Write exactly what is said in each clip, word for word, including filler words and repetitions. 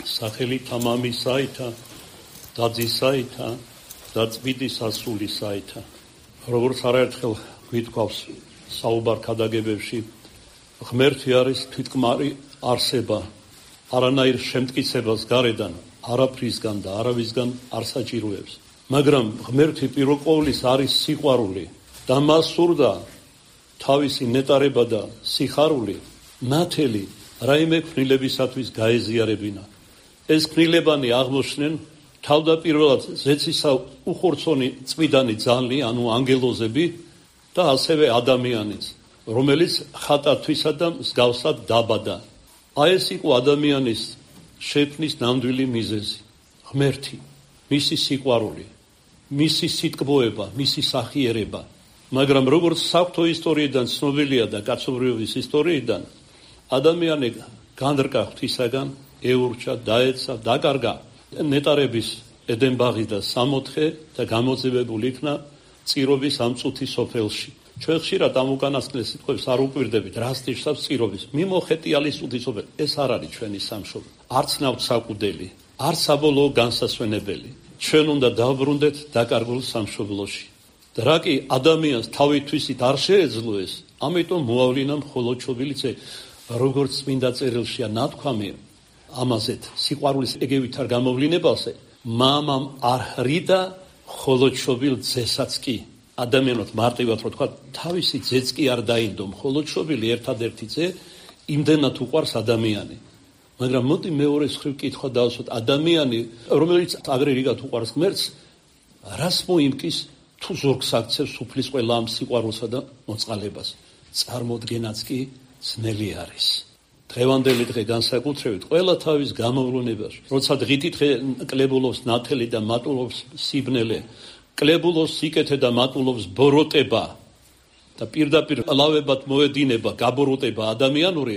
სახელი თამამისაითა და ძისაითა და წმინდის ასულისაითა. როგორც არაერთხელ გვითქვავს საუბარ ქადაგებებში, ღმერთი არის თვითკმარი არსება, არანაირ შემტკიცებას გარედან, არაფრისგან და არავისგან არ საჭიროებს. მაგრამ ღმერთი პირველყოვლის არის სიყვარული და მას სურდა თავისი ნეტარება და სიხარული ნათელი რაიმე ქმნილებისათვის გაეზიარებინა. ეს ქმნილებანი აღმოჩნდნენ თავდაპირველად ზეცისა უხორცონი წმიდანი ძალი, ანუ ანგელოზები და ასევე ადამიანიც, რომელიც ხატათვისა და მსგავსად დაბადა. აი ეს იყო ადამიანის შექმნის ნამდვილი მიზეზი. ღმერთი, მისი სიყვარული, მისი სიტკბოება, მისი სახიერება. მაგრამ როგორც საღვთო ისტორიიდან ცნობილია და კაცობრიობის ისტორიიდან, ადამიანი განრკა ღვთისაგან, ეურჩა, დაეცა, დაკარგა ნეტარების ედენბაღი და სამოთხე და გამოძევებული იქნა წირობის ამ წუთის სოფელში. ჩვენ ხშირად ამ უკანასკნელ სიტყვებს არ უკვირდებით, რას ნიშნავს წირობის. მიმოხეტიალის წუთის სოფელი. ეს არ არის ჩვენი სამშობლო. არც ნავთსაყუდელი, არც საბოლოო განსასვენებელი. ჩვენ უნდა დავბრუნდეთ დაკარგულ სამშობლოში. და რა კი ადამიანს თავითვისით არ შეეძლო ეს, ამიტომ მოავლინა მხოლოდ ჩობილიცე, როგორც წმინდა წერილშია ნათქვამი ამაზეთ სიყვარულის ეგევით არ გამოვლინებალსე, მამამ არ ხრიდა მხოლოდ ჩობილ ძესაც კი. ადამიანოთ მარტივად რო თქვა, თავისი ძეც კი არ დაინდო, მხოლოდ ჩობილი ერთადერთი ძე იმდენად უყვარს ადამიანი. მაგრამ მოდი მეორე მხრივ კითხვა დავსვათ, ადამიანი, რომელიც აგრერიგად უყვარს ღმერთს, რას მოიმკის თუ ზურგს აქცევს უფლის ყველა ამ სიყვარულსა და მოწყალებას. წარმოდგენაც კი ძნელი არის. დღევანდელი დღე განსაკუთრებით ყველა თავის გამოვლენებაში, როცა დღითი დღე კლებულობს ნათელი და მატულობს სიბნელე, კლებულობს სიკეთე და მატულობს ბოროტება და პირდაპირ ლავებად მოედინება გაბოროტება ადამიანური,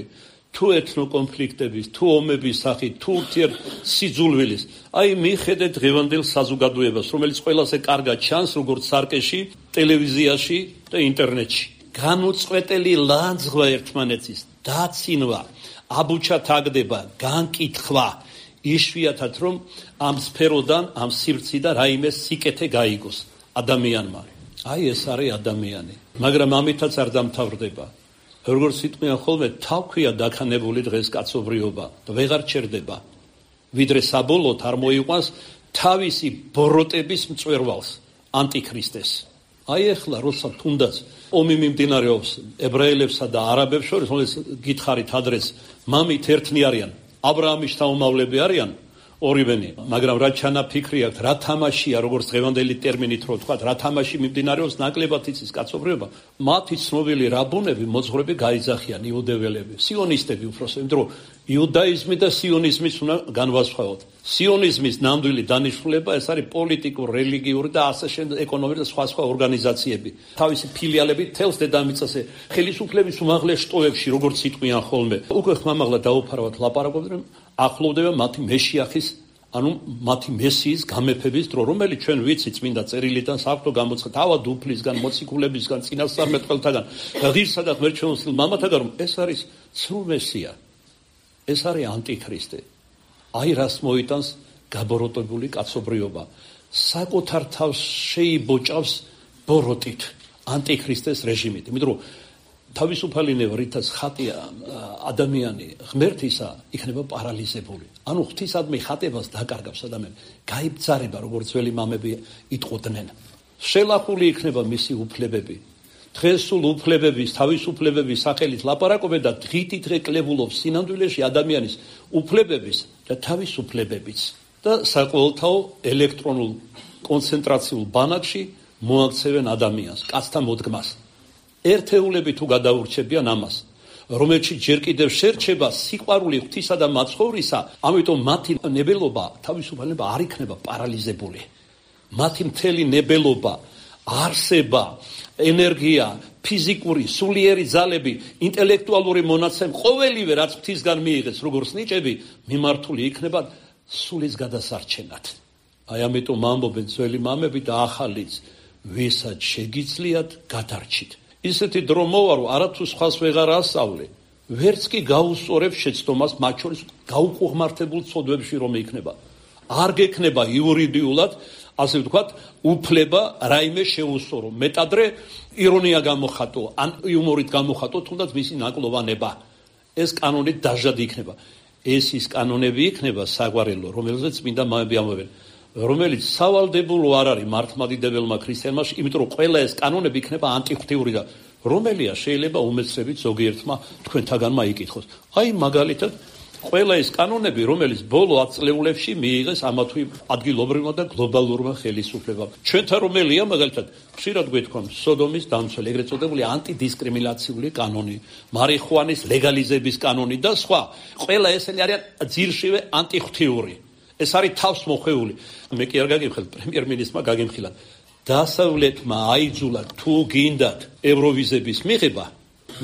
თუ ეთნო კონფლიქტების, თუ ომების სახით, თუ ურთიერთ სიძულვილის. აი მიხედე დღევანდელ საზოგადოებას, რომელიც ყველაზე კარგად ჩანს, როგორც სარკეში, ტელევიზიაში და ინტერნეტში. განუწყვეტელი ლანძღვა ერთმანეთის, დაცინვა, აბუჩა თაგდება, განკითხვა, იშვიათად რომ ამ სფეროდან, ამ სივრციდან რაიმე სიკეთე გაიგოს ადამიანმა. აი ეს არის ადამიანი. მაგრამ ამითაც არ დამთავრდება. როგორც იტყვიან ხოლმე, თავქვია დაქანებული დღეს კაცობრიობა და ვეღარ ჩერდება, ვიდრე საბოლოოდ არ მოიყვანს თავისი ბოროტების მწვერვალს, ანტიქრისტეს. აი ახლა როცა თუნდაც ომი მიმდინარეობს ებრაელებსა და არაბებს შორის, რომელიც გითხარით ადრეს, მამით ერთნი არიან, აბრაამის შთამომავლები არიან ორივენი, მაგრამ რა ჩანაფიქრი აქვს, რა თამაშია, როგორც დღევანდელი ტერმინით რო ვთქვათ, რა თამაში მიმდინარეობს, ნაკლებად იცის კაცობრიობა. მათი ცნობილი რაბუნები, მოძღვრები გაიძახიან, იუდეველები, სიონისტები უბრალოდ, იმიტომ რომ იუდაიზმი და სიონიზმის უნდა განვასხვაოთ. სიონიზმის ნამდვილი დანიშნულება ეს არის პოლიტიკურ, რელიგიური და ასე შემდეგ ეკონომიკური და სხვა სხვა ორგანიზაციები. თავისი ფილიალები თელს დედამიწაზე, ხელისუფლების უმაღლეს შტოებში, როგორც იტყვიან ხოლმე. უკვე ხმამაღლა დაუფარავად ლაპარაკობდნენ, ახლოვდება მათი მეშიახის, ანუ მათი მესიის გამეფების დრო, რომელიც ჩვენ ვიცი წმინდა წერილიდან, საღვთო გამოცხადებით, თავად უფლისგან, მოციქულებისგან, წინასწარმეტყველთაგან, ღირსა და ღმერთშეუცვლელ მამათაგან, რომ ეს არის ცრუ მესია. ეს არის ანტიქრისტე. აი რას მოიტანს გაბოროტებული კაცობრიობა. საკუთარ თავს შეიბოჭავს ბოროტით, ანტიქრისტეს რეჟიმით. იმიტომ რომ თავისუფალი ნება, რითაც ხატია ადამიანი ღმერთისა, იქნება პარალიზებული. ანუ ღვთისადმი ხატებას დაკარგავს ადამიანი. გაიბძარება, როგორც ძველი მამები იტყოდნენ. შელახული იქნება მისი უფლებები. დღეს სულ უფლებების, თავისუფლებების სახელით ლაპარაკობენ და დღითი დღე კლებულობს სინამდვილეში ადამიანის უფლებების და თავისუფლებებიც. და საყოველთაო ელექტრონულ კონცენტრაციულ ბანაკში მოაქცევენ ადამიანს, კაცთა მოდგმას. ერთეულები თუ გადაურჩებიან ამას, რომელშიც ჯერ კიდევ შერჩება სიყვარული ღვთისა და მაცხოვრისა, ამიტომ მათი ნებელობა, თავისუფლება არ იქნება პარალიზებული. მათი მთელი ნებელობა, არსება, ენერგია, ფიზიკური, სულიერი ძალები, ინტელექტუალური მონაცემ, ყოველივე რაც ღვთისგან მიიღეს, როგორც ნიჭები, მიმართული იქნება სულის გადასარჩენად. აი ამიტომ ამბობენ ძველი მამები და ახალიც, ვისაც შეგიძლიათ გადარჩით. ისეთი დრო მოვა, რომ არათუ სხვას ვეღარ ასწავლე, ვერც კი გაუსწორებს შეცდომას მათ შორის გაუყუღმართებულ ცოდვებში რომ იქნება. არ გექნება იურიდიულად, ასე ვთქვათ, უფლება რაიმე შეუსწორო. მეტადრე ირონია გამოხატო, ან იუმორით გამოხატო, თუნდაც მისი ნაკლოვანება. ეს კანონით დაჟად იქნება. ეს ის კანონები იქნება საგვარელო, რომელზეც წმინდა მამები ამბობენ, რომელიც სავალდებულო არ არის მართლმადიდებელმა ქრისტიანმა, იმიტომ რომ ყველა ეს კანონები იქნება ანტიღვთიური და რომელია შეიძლება უმეცრებით ზოგიერთმა თქვენთაგანმა იკითხოს. აი მაგალითად ყველა ეს კანონები, რომელიც ბოლო ათ წლეულებში მიიღეს ამა თუ იმ ადგილობრივმა და გლობალურმა ხელისუფლებამ. ჩვენთან რომელია მაგალითად ხშირად გვეთქვამ სოდომის დამცველი, ეგრეთ წოდებული ანტიდისკრიმინაციული კანონი, მარიხუანის ლეგალიზების კანონი და სხვა. ყველა ესენი არიან ძირშივე ანტიღვთიური. ეს არის თავს მოხვეული. მე კი არ გაგიმხილ, პრემიერ-მინისტრმა გაგიმხილა. დასავლეთმა აიძულა თუ გინდათ ევროვიზების მიღება,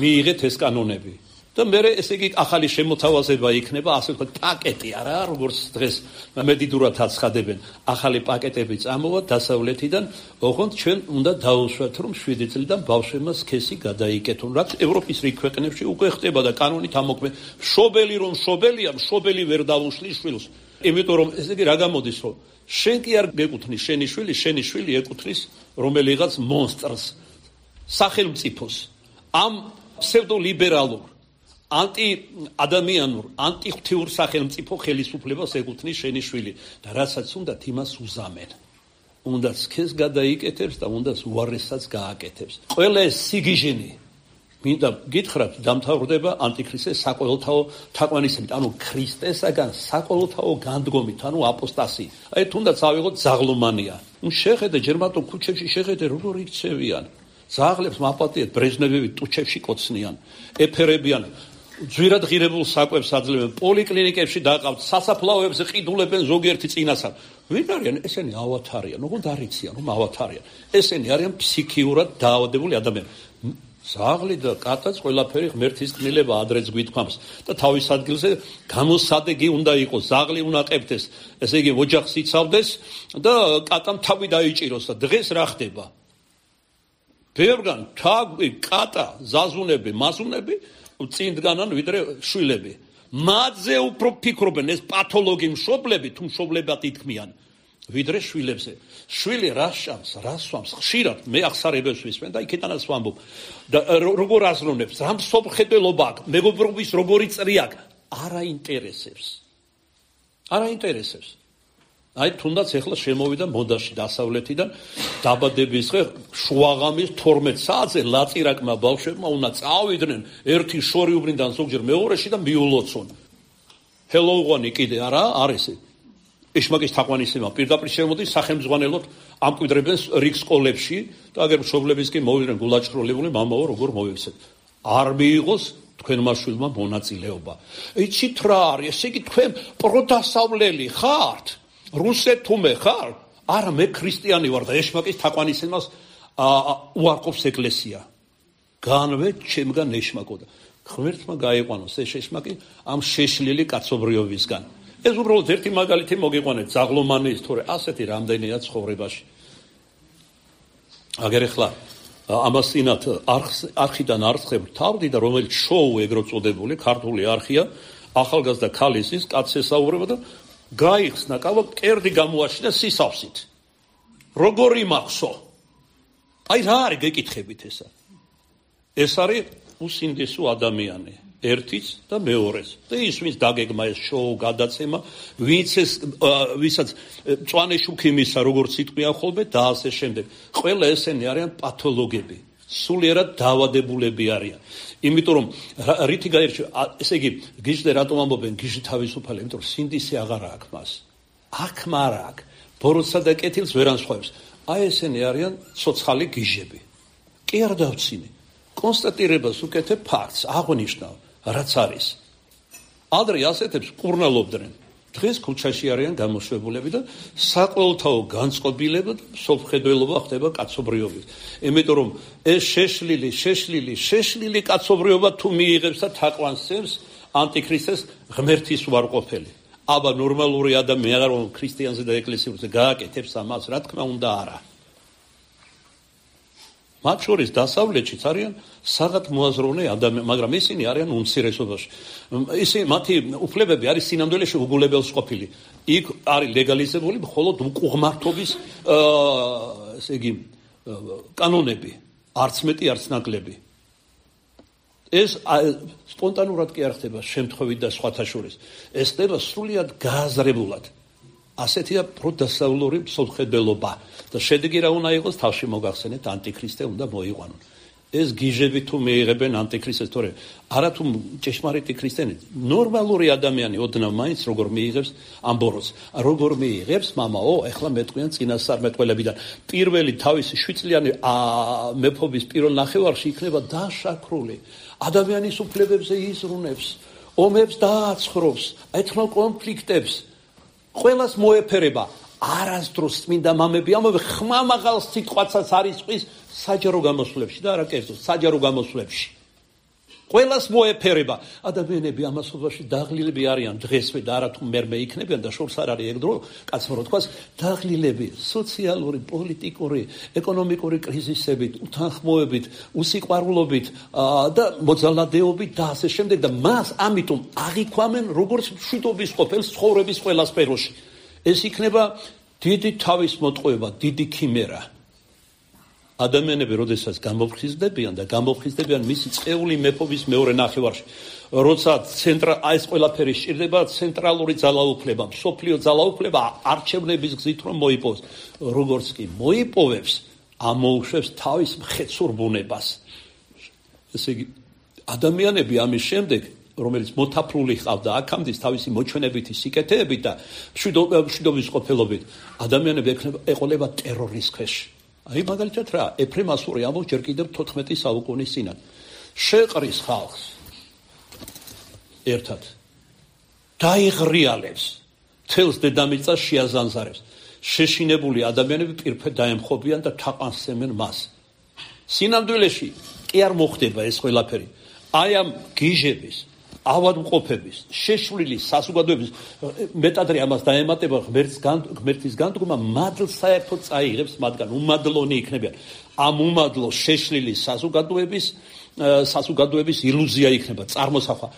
მიიღეთ ეს კანონები. და მე ესე იგი ახალი შემოთავაზება იქნება, ასე ვთქვათ, პაკეტი არა, როგორც დღეს მედიდურად აცხადებენ, ახალი პაკეტები წამოვა დასავლეთიდან, ოღონდ ჩვენ უნდა დაუშვათ, რომ შვიდი წლიდან ბავშვებმა სქესი გადაიკეთონ, რაც ევროპის რიგ ქვეყნებში უკვე ხდება და კანონით ამოქმედ. მშობელი რომ მშობელია, მშობელი ვერ დაუშლის შვილს. იმიტომ რომ ესე იგი რა გამოდის, რომ შენ კი არ გეკუთვნის შენი შვილი, შენი შვილი ეკუთვნის რომელიღაც მონსტრს, სახელმწიფოს, ამ ფსევდოლიბერალურ ანტი-ადამიანურ, ანტიღვთიურ სახელმწიფო ხელისუფლებას ეკუთვნის შენი შვილი და რასაც უნდათ იმას უზამენ. უნდა სქეს გადაიკეთებს და უნდა უარესაც გააკეთებს. ყველა ეს სიგიჟენი მინდა გითხრათ დამთავრდება ანტიქრისტეს საყოველთაო თაყვანისმით, ანუ ქრისტესაგან საყოველთაო განდგომით, ანუ აპოსტასიით. აი თუნდაც ავიღოთ ზაღლომანია. ნუ შეხედე ჯერმატო ქუჩებში შეხედე როგორ იქცევიან. ზაღლებს მაპატიეთ ბრეჟნევები ტუჩებში კოცნიან, ეფერებიან, ძვირად ღირებულ საკვებს აძლევენ, პოლიკლინიკებში დაყავთ, სასაფლაოებზე ყიდულებენ ზოგიერთი წინასწარ. ვინ არიან? ესენი ავათარიან, ოღონდ არ იციან, რომ ავათარიან. ესენი არიან ფსიქიურად დაავადებული ადამიანები. ზაღლი და კატაც ყველაფერი ღმერთის კნილება ადრეც გვითქვამს და თავის ადგილზე გამოსადეგი უნდა იყოს, ზაღლი უნდა ყებდეს, ესე იგი ოჯახს იცავდეს და კატამ თავი დაიჭიროს და დღეს რა ხდება? ბევრგან თაგვი, კატა, ზაზუნები, მასუნები წინ დგანან ვიდრე შვილები. მათზე უფრო ფიქრობენ ეს პათოლოგი მშობლები თუ მშობლებად ითქმიან ვიდრე შვილებზე. შვილი რა შანს, რა სვამს, ხშირად მე ახსარებებს ვისმენ და იქეთანაც ვამბობ. და როგორ აზროვნებს, რა მსოფლმხედველობა აქვს, მეგობრობის როგორი წრი აქვს, არ აინტერესებს. არ აინტერესებს. აი თუნდაც ეხლა შემოვიდა მოდაში დასავლეთიდან დაბადების დღე შუაღამის თორმეტ საათზე ლაწირაკმა ბავშვებმა უნდა წავიდნენ ერთი შორიუბრიდან ზოგჯერ მეორეში და მიულოცონ. ჰელოუღანი კიდე არა არის ეშმაკის თაყვანისმება პირდაპირ შემოდის სახელმძღვანელოდ ამკვიდრებენ რიგ სკოლებში და აგერ მშობლების კი მოვიდნენ გულაჭროლებული მამაო როგორ მოიქცეთ. არ მიიღოს თქვენმა შვილმა მონაწილეობა. იცით რა არის, ესე იგი თქვენ პროდასავლელი ხართ? რუსეთუმე ხარ? არა, მე ქრისტიანი ვარ და ეშმაკის თაყვანისმებას უარყოფს ეკლესია. განვე ჩემგან ეშმაკო და ღმერთმა გაიყვანოს ეს ეშმაკი ამ შეშლილი კაცობრიობისგან. ეს უბრალოდ ერთი მაგალითი მოგიყვანეთ ზაღლომანის თორე ასეთი რამდენია ცხოვრებაში. აგერ ახლა ამას წინათ არხიდან არხებ თავდი და რომელიც შოუ ეგრეთ წოდებული ქართული არხია ახალგაზრდა ქალისის კაცს ესაუბრება და გაიხსნა კავა კერდი გამოაშინა სისავსით. როგორი მახსო? აი რა არის გეკითხებით ესა? ეს არის უსინდისო ადამიანი, ერთიც და მეორეს. და ის ვინც დაგეგმა ეს შოუ გადაცემა, ვინც ეს ვისაც მწვანე შუქი მისცა, როგორც იტყვიან ხოლმე და ასე შემდეგ. ყველა ესენი არიან პათოლოგები, სულიერად დაავადებულები არიან. იმიტომ რომ რითი გაირჩევა, ესე იგი გიჟდე რატომ ამბობენ გიჟი თავისუფალი, იმიტომ რომ სინდისი აღარ აქვს მას. აქ მარ აქვს, ბოროტსა და კეთილს ვერ ანსხვავებს. აი ესენი არიან ცოცხალი გიჟები. კი არ დავცინე. კონსტატირებას უკეთებ ფაქტს, აღნიშნავ, რაც არის. ადრე ასეთებს კურნალობდნენ. დღეს ქუჩაში არიან გამოშვებულები და საყოველთაო განწყობილება და სოფხედველობა ხდება კაცობრიობის. იმიტომ რომ ეს შეშლილი, შეშლილი, შეშლილი კაცობრიობა თუ მიიღებს და თაყვანს სცემს ანტიქრისტეს ღმერთის უარყოფელი. აბა ნორმალური ადამიანი რომ ქრისტიანზე და ეკლესიურზე გააკეთებს ამას, რა თქმა უნდა არა. მათ შორის დასავლეთშიც არიან საღად მოაზროვნე ადამიანები, მაგრამ ისინი არიან უმცირესობაში. ისინი მათი უფლებები არის სინამდვილეში უგულებელს ყოფილი. იქ არის ლეგალიზებული მხოლოდ უკუღმართობის ესე იგი კანონები, არც მეტი, არც ნაკლები. ეს სპონტანურად კი არ ხდება შემთხვევით და სხვათა შორის. ეს ხდება სრულიად გააზრებულად. ასეთია პროდასავლური მსოფლმხედველობა და შედეგი რა უნდა იყოს თავში მოგახსენეთ ანტიქრისტე უნდა მოიყვანონ. ეს გიჟები თუ მიიღებენ ანტიქრისტეს თორე არა თუ ჭეშმარიტი ქრისტიანი ნორმალური ადამიანი ოდნავ მაინც როგორ მიიღებს ამბოროს როგორ მიიღებს მამაო ეხლა მეტყვიან წინასწარმეტყველებიდან პირველი თავისი შვიდწლიანი მეფობის პირველ ნახევარში იქნება დაშაქრული ადამიანის უფლებებზე იზრუნებს ომებს დააცხრობს ეთნო კონფლიქტებს ყველას მოეფერება არასდროს წმინდა მამები ამბობენ ხმამაღალ სიტყვაცაც არის ყვის საჯარო გამოსვლებში და არა კერძო საჯარო გამოსვლებში ყველას მოეფერება ადამიანები ამასობაში დაღლილები არიან დღესვე და არა თუ მერმე იქნებიან და შორს არ არის ეგ დრო კაცმა რო თქვას დაღლილები სოციალური პოლიტიკური ეკონომიკური კრიზისებით უთანხმოებით უსიყვარულობით და მოძალადეობით და ასე შემდეგ და მას ამიტომ აღიქვამენ როგორც მშვიდობის ყოფილს ცხოვრების ყველა სფეროში ეს იქნება დიდი თავის მოტყუება დიდი ქიმერა ადამიანები როდესაც გამოფხიზდებიან და გამოფხიზდებიან მისი წეული მეფობის მეორე ნახევარში როცა ცენტრა ეს ყველაფერი სჭირდება ცენტრალური ძალაუფლება მსოფლიო ძალაუფლება არჩევნების გზით რომ მოიპოვოს როგორც კი მოიპოვებს ამოუშვებს თავის მხეცურ ბუნებას ესე იგი ადამიანები ამის შემდეგ რომელიც მოთაფრული ყავდა აქამდე თავისი მოჩვენებითი სიკეთეებით და მშვიდობის ყოფილობით ადამიანები ეყოლება ტერორის ქვეშ აი მაგალითად რა ეფრემ ასური ამბობს ჯერ კიდევ თოთხმეტი საუკუნის წინათ შეყრის ხალხს ერთად დაიღრიალებს თელს დედამიწას შეაზანზარებს შეშინებული ადამიანები პირფედ დაემხობიან და თაყვანსემენ მას სინამდვილეში კი არ მოხდება ეს ყველაფერი აი ამ გიჟების ავადმყოფების შეშვლილი საზოგადოების მეტადრე ამას დაემატება ღმერთის განდგომა მადლს საერთოდ წაიღებს მათგან უმადლონი იქნებიან ამ უმადლო შეშლილი საზოგადოების საზოგადოების ილუზია იქნება წარმოსახვა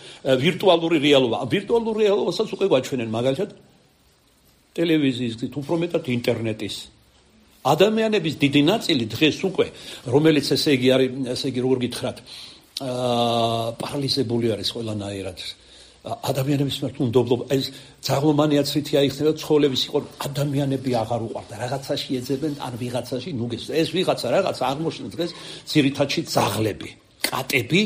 ვირტუალური რეალობა ვირტუალურ რეალობასაც უკვე გვაჩვენენ მაგალითად ტელევიზიის გზით უფრო მეტად ინტერნეტის ადამიანების დიდი ნაწილი დღეს უკვე რომელიც ესე იგი არის ესე იგი როგორ გითხრათ აა პარალიზებული არის ყველანაირად ადამიანების მიმართ უნდობლობა ეს ძაღლომანიაცრითი აიხსნება ცხოვრების იყო ადამიანები აღარ უყვარდა რაღაცაში ეძებენ ან ვიღაცაში ნუგეს ეს ვიღაცა რაღაცა აღმოჩნდა დღეს ძირითადში ძაღლები კატები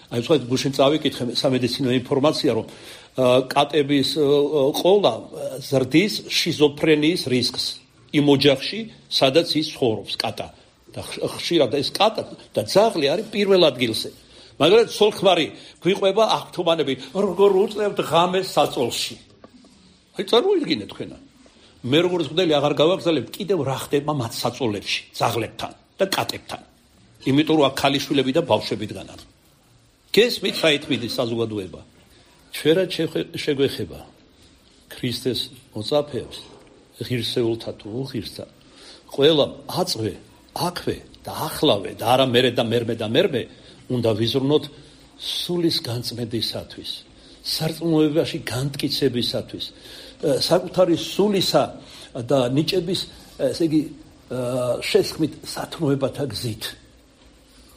აი სხვა გუშინ წავიკითხე სამედიცინო ინფორმაცია რომ კატების ყოლა ზრდის შიზოფრენიის რისკს იმ ოჯახში სადაც ის ცხოვრობს კატა და ხშირად ეს კატა და ძაღლი არის პირველ ადგილზე მაგრამ სოლხმარი გვიყვება აღთუმანები როგორ უწევთ ღამეს საწოლში აი წარმოიდგინეთ თქვენა მე როგორც მგდელი აღარ გავაგზავნებ კიდევ რა ხდება მათ საწოლებში ძაღლებთან და კატებთან იმიტომ რომ აქ ქალიშვილები და ბავშვები დგანან გესმით რა ითმიდის საზოგადოება ჩვენად შეგვეხება ქრისტეს მოწაფეებს ღირსეულთა თუ უღირსთა ყველა აწვე აქვე და ახლავე და არა მერე და მერმე და მერმე უნდა ვიზრუნოთ სულის განწმენდისათვის, სარწმუნოებაში განმტკიცებისათვის, საკუთარი სულისა და ნიჭების, ესე იგი, შესხმით სათნოებათა გზით.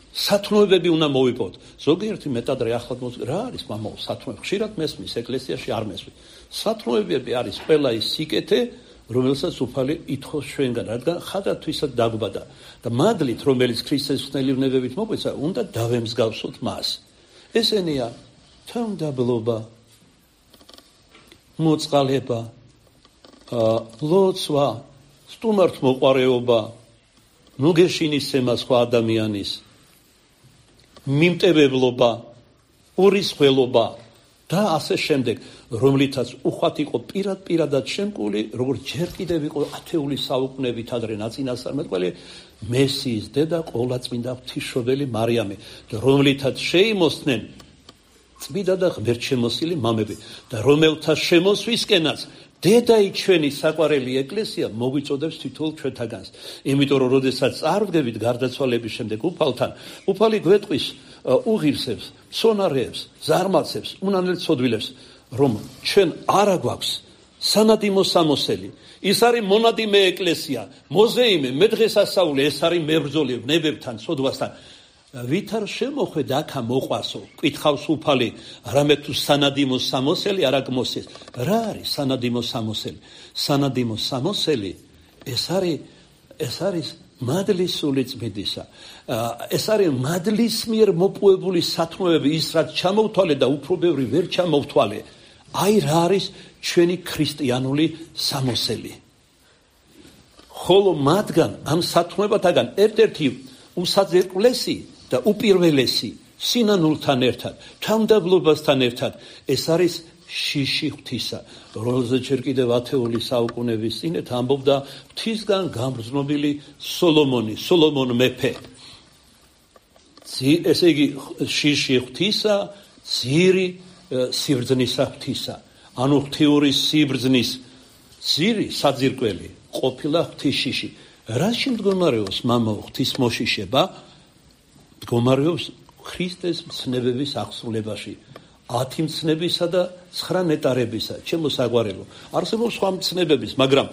სათნოებები უნდა მოვიპოვოთ. ზოგიერთი მეტადრე ახლად მოძ რა არის მამაო სათნოები? ხშირად მესმის ეკლესიაში არ მესმის. სათნოებები არის ყველა ის სიკეთე რომელსაც უფალი ითხოვს ჩვენგან, რადგან ხადათვისაც დაგვბადა და მადლით, რომელიც ქრისტეს ხნელივნებებით მოგვეცა, უნდა დავემსგავსოთ მას. ესენია თანმდაბლობა, მოწყალება, ლოცვა, სტუმართმოყვარეობა, ნუგეშინისცემა სხვა ადამიანის, მიმტევებლობა, ურისხველობა და ასე შემდეგ, რომლითაც უხვად იყო პირად-პირადად შემკული, როგორც ჯერ კიდევ იყო ათეული საუკუნეებით ადრე ნაწინასწარმეტყველი მესიის დედა ყოვლადწმინდა ღვთისმშობელი მარიამი, რომლითაც შეიმოსდნენ წმინდა და ღმერთშემოსილი მამები და რომელთა შემოსვისკენაც დედაი ჩვენი საყვარელი ეკლესია მოგვიწოდებს თითოეულ ჩვენთაგანს. იმიტომ რომ როდესაც წარვდგებით გარდაცვალების შემდეგ უფალთან, უფალი გვეტყვის უღირსებს, სონარეებს, ზარმაცებს, უნანელ ცოდვილებს, რომ ჩვენ არა გვაქვს სანადიმო სამოსელი. ის არის მონადიმე ეკლესია, მოზეიმე, მედღესასწაული, ეს არის მებრძოლი ნებებთან, ცოდვასთან. ვით არ შემოხვედ აქა მოყვასო, კითხავს უფალი, რამე თუ სანადიმო სამოსელი არ აგმოსეს. რა არის სანადიმო სამოსელი? სანადიმო სამოსელი ეს არის ეს არის მადლის სული წმინდისა. ეს არის მადლის მიერ მოპუებული სათნოები, ის რაც ჩამოვთვალე და უფრო ბევრი ვერ ჩამოვთვალე. აი რა არის ჩვენი ქრისტიანული სამოსელი. ხოლო მათგან ამ სათნოებათაგან ერთ-ერთი უსაძერკლესი და უპირველესი სინანულთან ერთად, თანმდაბლობასთან ერთად ეს არის შიში ღვთისა, რომელზეც ჯერ კიდევ ათეული საუკუნეების წინეთ ამბობდა ღვთისგან გამგზნობილი სოლომონი, სოლომონ მეფე. ესე იგი შიში ღვთისა, ძირი სიბრძნისა ღვთისა. ანუ ღვთიური სიბრძნის ძირი საძირკველი ყოფილა ღვთისშიში. რაში მდგომარეობს მამაო ღვთის მოშიშება? მდგომარეობს ქრისტეს მცნებების აღსრულებაში. ათი მცნებისა და ცხრა ნეტარებისა. ჩემო საყვარელო, არსებობს სხვა მცნებების, მაგრამ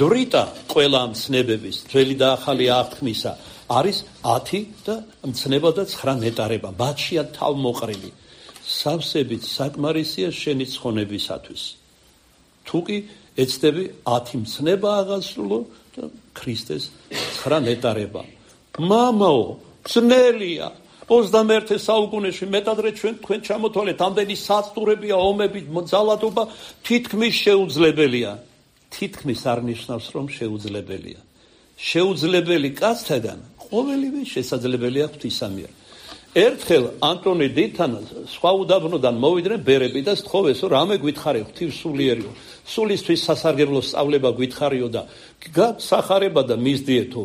დრიტა ყველა მცნებების, ძველი და ახალი აღთქმისა არის ათი და მცნება და ცხრა ნეტარება. ბათშია თავმოყრილი. სავსებით საკმარისია შენი ცხონებისათვის. თუ კი ეცდები ათი მცნება აღასრულო და ქრისტეს ცხრა ნეტარება. მამაო, ძნელია. ოცდამეერთე საუკუნეში მეტადრე ჩვენ თქვენ ჩამოთვალეთ, ამდენი საწტურებია, ომები, ძალადობა, თითქმის შეუძლებელია. თითქმის არ ნიშნავს, რომ შეუძლებელია. შეუძლებელი კაცთაგან ყოველივე შესაძლებელია ღვთისა მიერ. ერთხელ ანტონი დედთან სხვა უდაბნოდან მოვიდნენ ბერები და სთხოვეს, რომ რამე გითხარიო, ღვთისმსულიერიო, სულისთვის სასარგებლო სწავლება გითხარიო და გასახარება და მისდიეთო.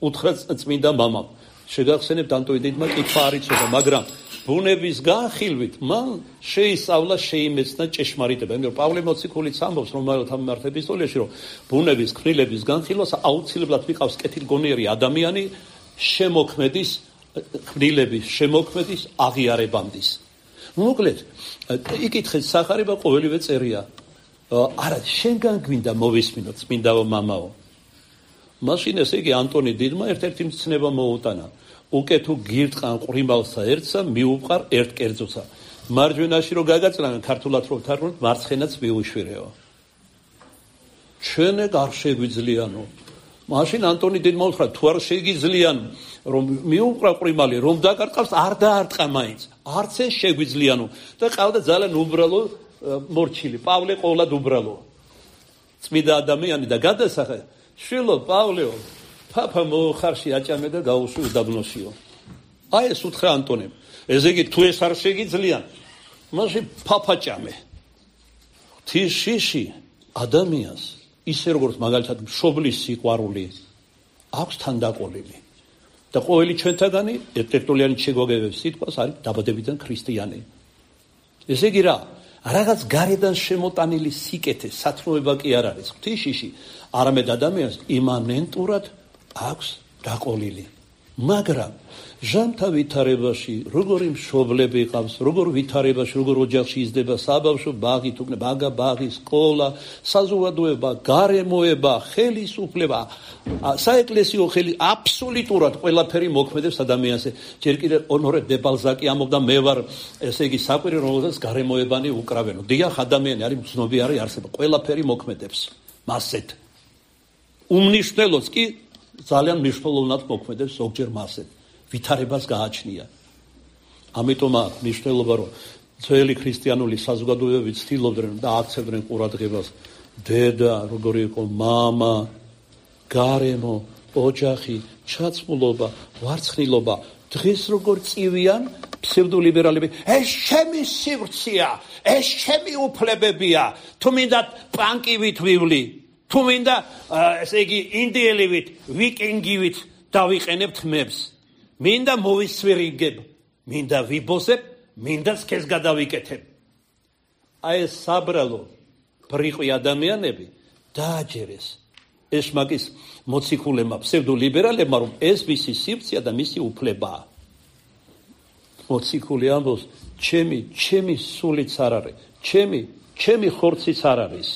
უთხრა წმინდა მამამ. შეგახსენებთ ანტონი დედმა კითხვა არ იცოდა, მაგრამ ბუნების განხილვით მან შეისწავლა, შეიმეცნა ჭეშმარიტება. იმიტომ პავლე მოციქულიც ამბობს რომაელთა მიმართ ეპისტოლეში, რომ ბუნების ქმნილების განხილვას აუცილებლად ვიყავს კეთილგონიერი ადამიანი შემოქმედის ქმნილების შემოქმედის აღიარებამდის. მოკლედ, იკითხეთ სახარება ყოველივე წერია. არა, შენგან გვინდა მოვისმინო წმინდაო მამაო. მაშინ ესე იგი ანტონი დიდმა ერთ-ერთი მცნება მოუტანა. უკე თუ გირტყან ყრიმალსა ერთსა, მიუყარ ერთ კერძოცა. მარჯვენაში რო გაგაწლან, ქართულად რო ვთარგმნოთ, მარცხენაც მიუშვირეო. ჩვენე არ შეგვიძლიანო. მაშინ ანტონი დიდმა უთხრა, თუ არ შეგიძლიან, რომ მიუყრა ყრიმალი, რომ დაკარყავს, არ დაარტყა მაინც. არც ეს შეგვიძლიანო. და ყავდა ძალიან უბრალო მორჩილი. პავლე ყოვლად უბრალო. წმინდა ადამიანი და გადასახა შვილო პავლეო, პაპა მოხარში აჭამე და გაუშვი უდაბნოსიო. აი ეს უთხრა ანტონემ. ესე იგი თუ ეს არ შეგიძლიან, მაშინ პაპა ჭამე. ღვთის შიში ადამიანს ისე როგორც მაგალითად მშობლის სიყვარული აქვს თანდაყოლილი. და ყოველი ჩვენთაგანი ერთერთულიანი შეგვაგებებს სიტყვას არის დაბადებიდან ქრისტიანი. ესე იგი რა, რაღაც გარედან შემოტანილი სიკეთე, სათნოება კი არ არის ღვთისშიში, არამედ ადამიანს იმანენტურად აქვს დაყოლილი. მაგრამ ჟამთა ვითარებაში, როგორი მშობლები ყავს, როგორ ვითარებაში, როგორ ოჯახში იზრდება, საბავშვო ბაღი, თუკნე ბაგა ბაღი, სკოლა, საზოგადოება, გარემოება, ხელისუფლება, საეკლესიო ხელი, აბსოლუტურად ყველაფერი მოქმედებს ადამიანზე. ჯერ კიდევ ონორე დე ბალზაკი ამბობდა, მე ვარ, ესე იგი, საყვირი, რომელსაც გარემოებანი უკრავენო. დიახ, ადამიანი არის მცნობიარი არსება, ყველაფერი მოქმედებს მასეთ. უმნიშვნელოც კი ძალიან მნიშვნელოვნად მოქმედებს ზოგჯერ მასეთ. ვითარებას გააჩნია. ამიტომ აქვს მნიშვნელობა, რომ ძველი ქრისტიანული საზოგადოებები ცდილობდნენ და აქცევდნენ ყურადღებას დედა, როგორი იყო მამა, გარემო, ოჯახი, ჩაცმულობა, ვარცხნილობა. დღეს როგორ წივიან ფსევდოლიბერალები, ეს ჩემი სივრცეა, ეს ჩემი უფლებებია, თუ მინდა პანკივით ვივლი, თუ მინდა ესე იგი ინდიელივით, ვიკინგივით დავიყენებ თმებს. მინდა მოვისვირიგებ, მინდა ვიბოსებ, მინდა სქეს გადავიკეთებ. აი ეს საბრალო ბრიყვი ადამიანები დააჯერეს ეშმაკის მოციქულებმა, ფსევდოლიბერალებმა, რომ ეს მისი სივრცეა და მისი უფლებაა. მოციქული ამბობს, ჩემი, ჩემი სულიც არ არის, ჩემი, ჩემი ხორციც არ არის.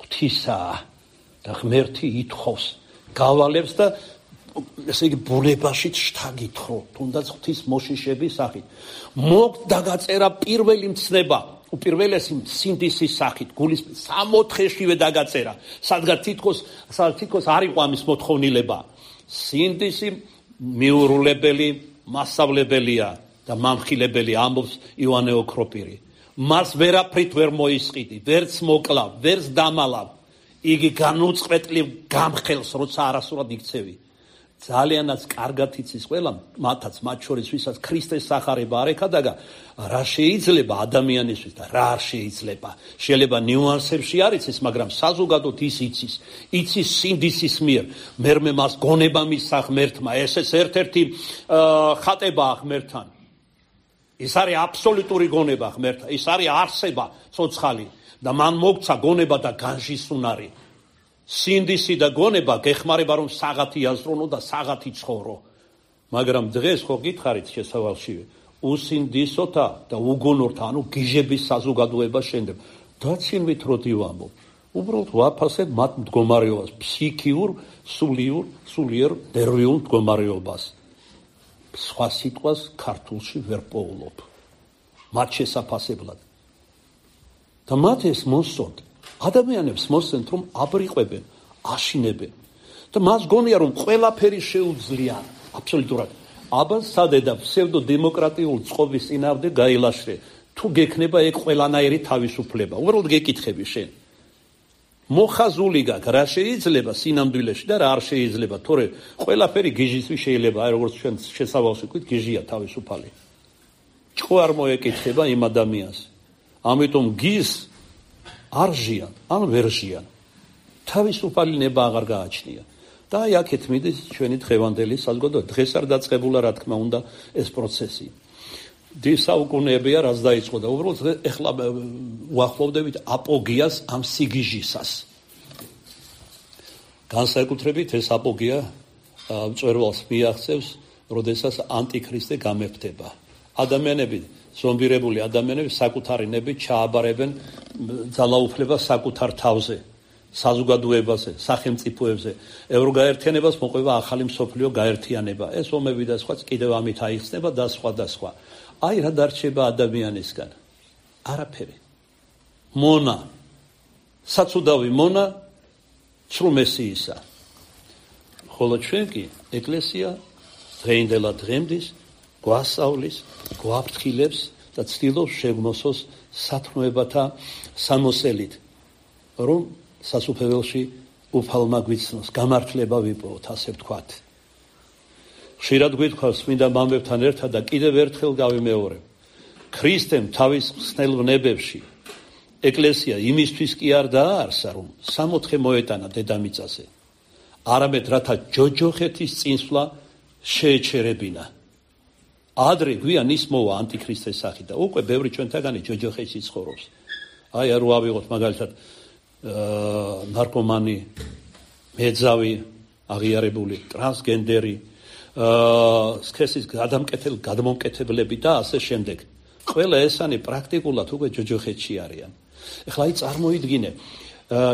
ღვთისაა და ღმერთი ითხოვს, გავალებს და ესე იგი ბუნებაშიც შთაგითხო, თუნდაც ღვთის მოშიშების სახით. მოგ დაგაწერა პირველი მცნება, უპირველესი სინდისის სახით, გულის სამოთხეშივე დაგაწერა, სადღაც თითქოს, სადღაც თითქოს არ იყო ამის მოთხოვნილება. სინდისი მიურულებელი, მასწავლებელია და მამხილებელი, ამბობს იოანე ოქროპირი. მას ვერაფრით ვერ მოისყიდი, ვერც მოკლავ, ვერც დამალავ. იგი განუწყვეტლივ გამხელს, როცა არასრულად იქცევი. ძალიანაც კარგად იცის ყველა, მათაც მათ შორის, ვისაც ქრისტეს სახარება არ ეკადაგა, რა შეიძლება ადამიანისთვის და რა არ შეიძლება. შეიძლება ნიუანსებში არ იცის, მაგრამ საზოგადოდ ის იცის. იცის სინდისის მიერ. მერმე მას გონება მისცა ღმერთმა. ესეც ერთ-ერთი ხატებაა ღმერთთან. ის არის აბსოლუტური გონება ღმერთთან. ის არის არსება ცოცხალი და მან მოგცა გონება და განშისუნარი. სინდისი და გონება გეხმარება რომ საღათი აზროვნო და საღათი ცხოვრო. მაგრამ დღეს ხო გითხარით შესავალშივე, უსინდისოთა და უგონორთა, ანუ გიჟების საზოგადოება შენდება. დაცინვით როდი ვამბობ. უბრალოდ ვაფასებ მათ მდგომარეობას, ფსიქიურ, სულიურ, სულიერ ნერვიულ მდგომარეობას. სხვა სიტყვას ქართულში ვერ პოულობ. მათ შესაფასებლად. და მათ ეს მოსწონთ. ადამიანებს მოსცემთ, რომ აბრიყვებენ, აშინებენ და მას გონია, რომ ყველაფერი შეუძლიან, აბსოლუტურად. აბა სადედა ფსევდოდემოკრატიულ წყობის წინააღმდეგ გაილაშრე, თუ გექნება ეგ ყველანაირი თავისუფლება. უბრალოდ გეკითხები შენ. მოხაზული გაქვს, რა შეიძლება სინამდვილეში და რა არ შეიძლება, თორე ყველაფერი გიჟისთვის შეიძლება, აი როგორც ჩვენ შესავალში ვქვით, გიჟია თავისუფალი. ჭკო არ მოეკითხება იმ ადამიანს. ამიტომ გის არ ჟიან, ან ვერ ჟიან. თავისუფალი ნება აღარ გააჩნია. და აი აქეთ მიდის ჩვენი დღევანდელი საზოგადოება. დღეს არ დაწყებულა, რა თქმა უნდა, ეს პროცესი. საუკუნეებია, რაც დაიწყო და უბრალოდ ეხლა უახლოვდებით აპოგიას ამ სიგიჟისას. განსაკუთრებით ეს აპოგია მწვერვალს მიაღწევს, როდესაც ანტიქრისტე გამეფდება. ადამიანები, ზომბირებული ადამიანები საკუთარი ნებით ჩააბარებენ ძალაუფლებას საკუთარ თავზე, საზოგადოებაზე, სახელმწიფოებზე. ევროგაერთიანებას მოყვება ახალი მსოფლიო გაერთიანება. ეს ომები და სხვა კიდევ ამით აიხსნება და სხვა და სხვა. აი რა დარჩება ადამიანისგან? არაფერი. მონა, საცუდავი მონა, ცრუმესიისა. ხოლო ჩვენ კი ეკლესია დღეინდელა დღემდის გვასწავლის, გვაფრთხილებს და ცდილობს შეგმოსოს სათნოებათა სამოსელით, რომ სასუფეველში უფალმა გვიცნოს, გამართლება ვიპოვოთ, ასე ვთქვათ. ხშირად გვითხოვს წმინდა მამებთან ერთად და კიდევ ერთხელ გავიმეორებ. ქრისტემ თავის ხსნელ ვნებებში ეკლესია იმისთვის კი არ დააარსა, რომ სამოთხე მოეტანა დედამიწაზე, არამედ რათა ჯოჯოხეთის წინსვლა შეეჩერებინა. ადრე გვიან ის მოვა ანტიქრისტეს სახით და უკვე ბევრი ჩვენთაგანი ჯოჯოხეთში ცხოვრობს. აი არ ვავიღოთ მაგალითად ნარკომანი, მეძავი, აღიარებული, ტრანსგენდერი, სქესის გადამკეთებელი, გადმომკეთებლები და ასე შემდეგ. ყველა ესანი პრაქტიკულად უკვე ჯოჯოხეთში არიან. ეხლა აი წარმოიდგინე,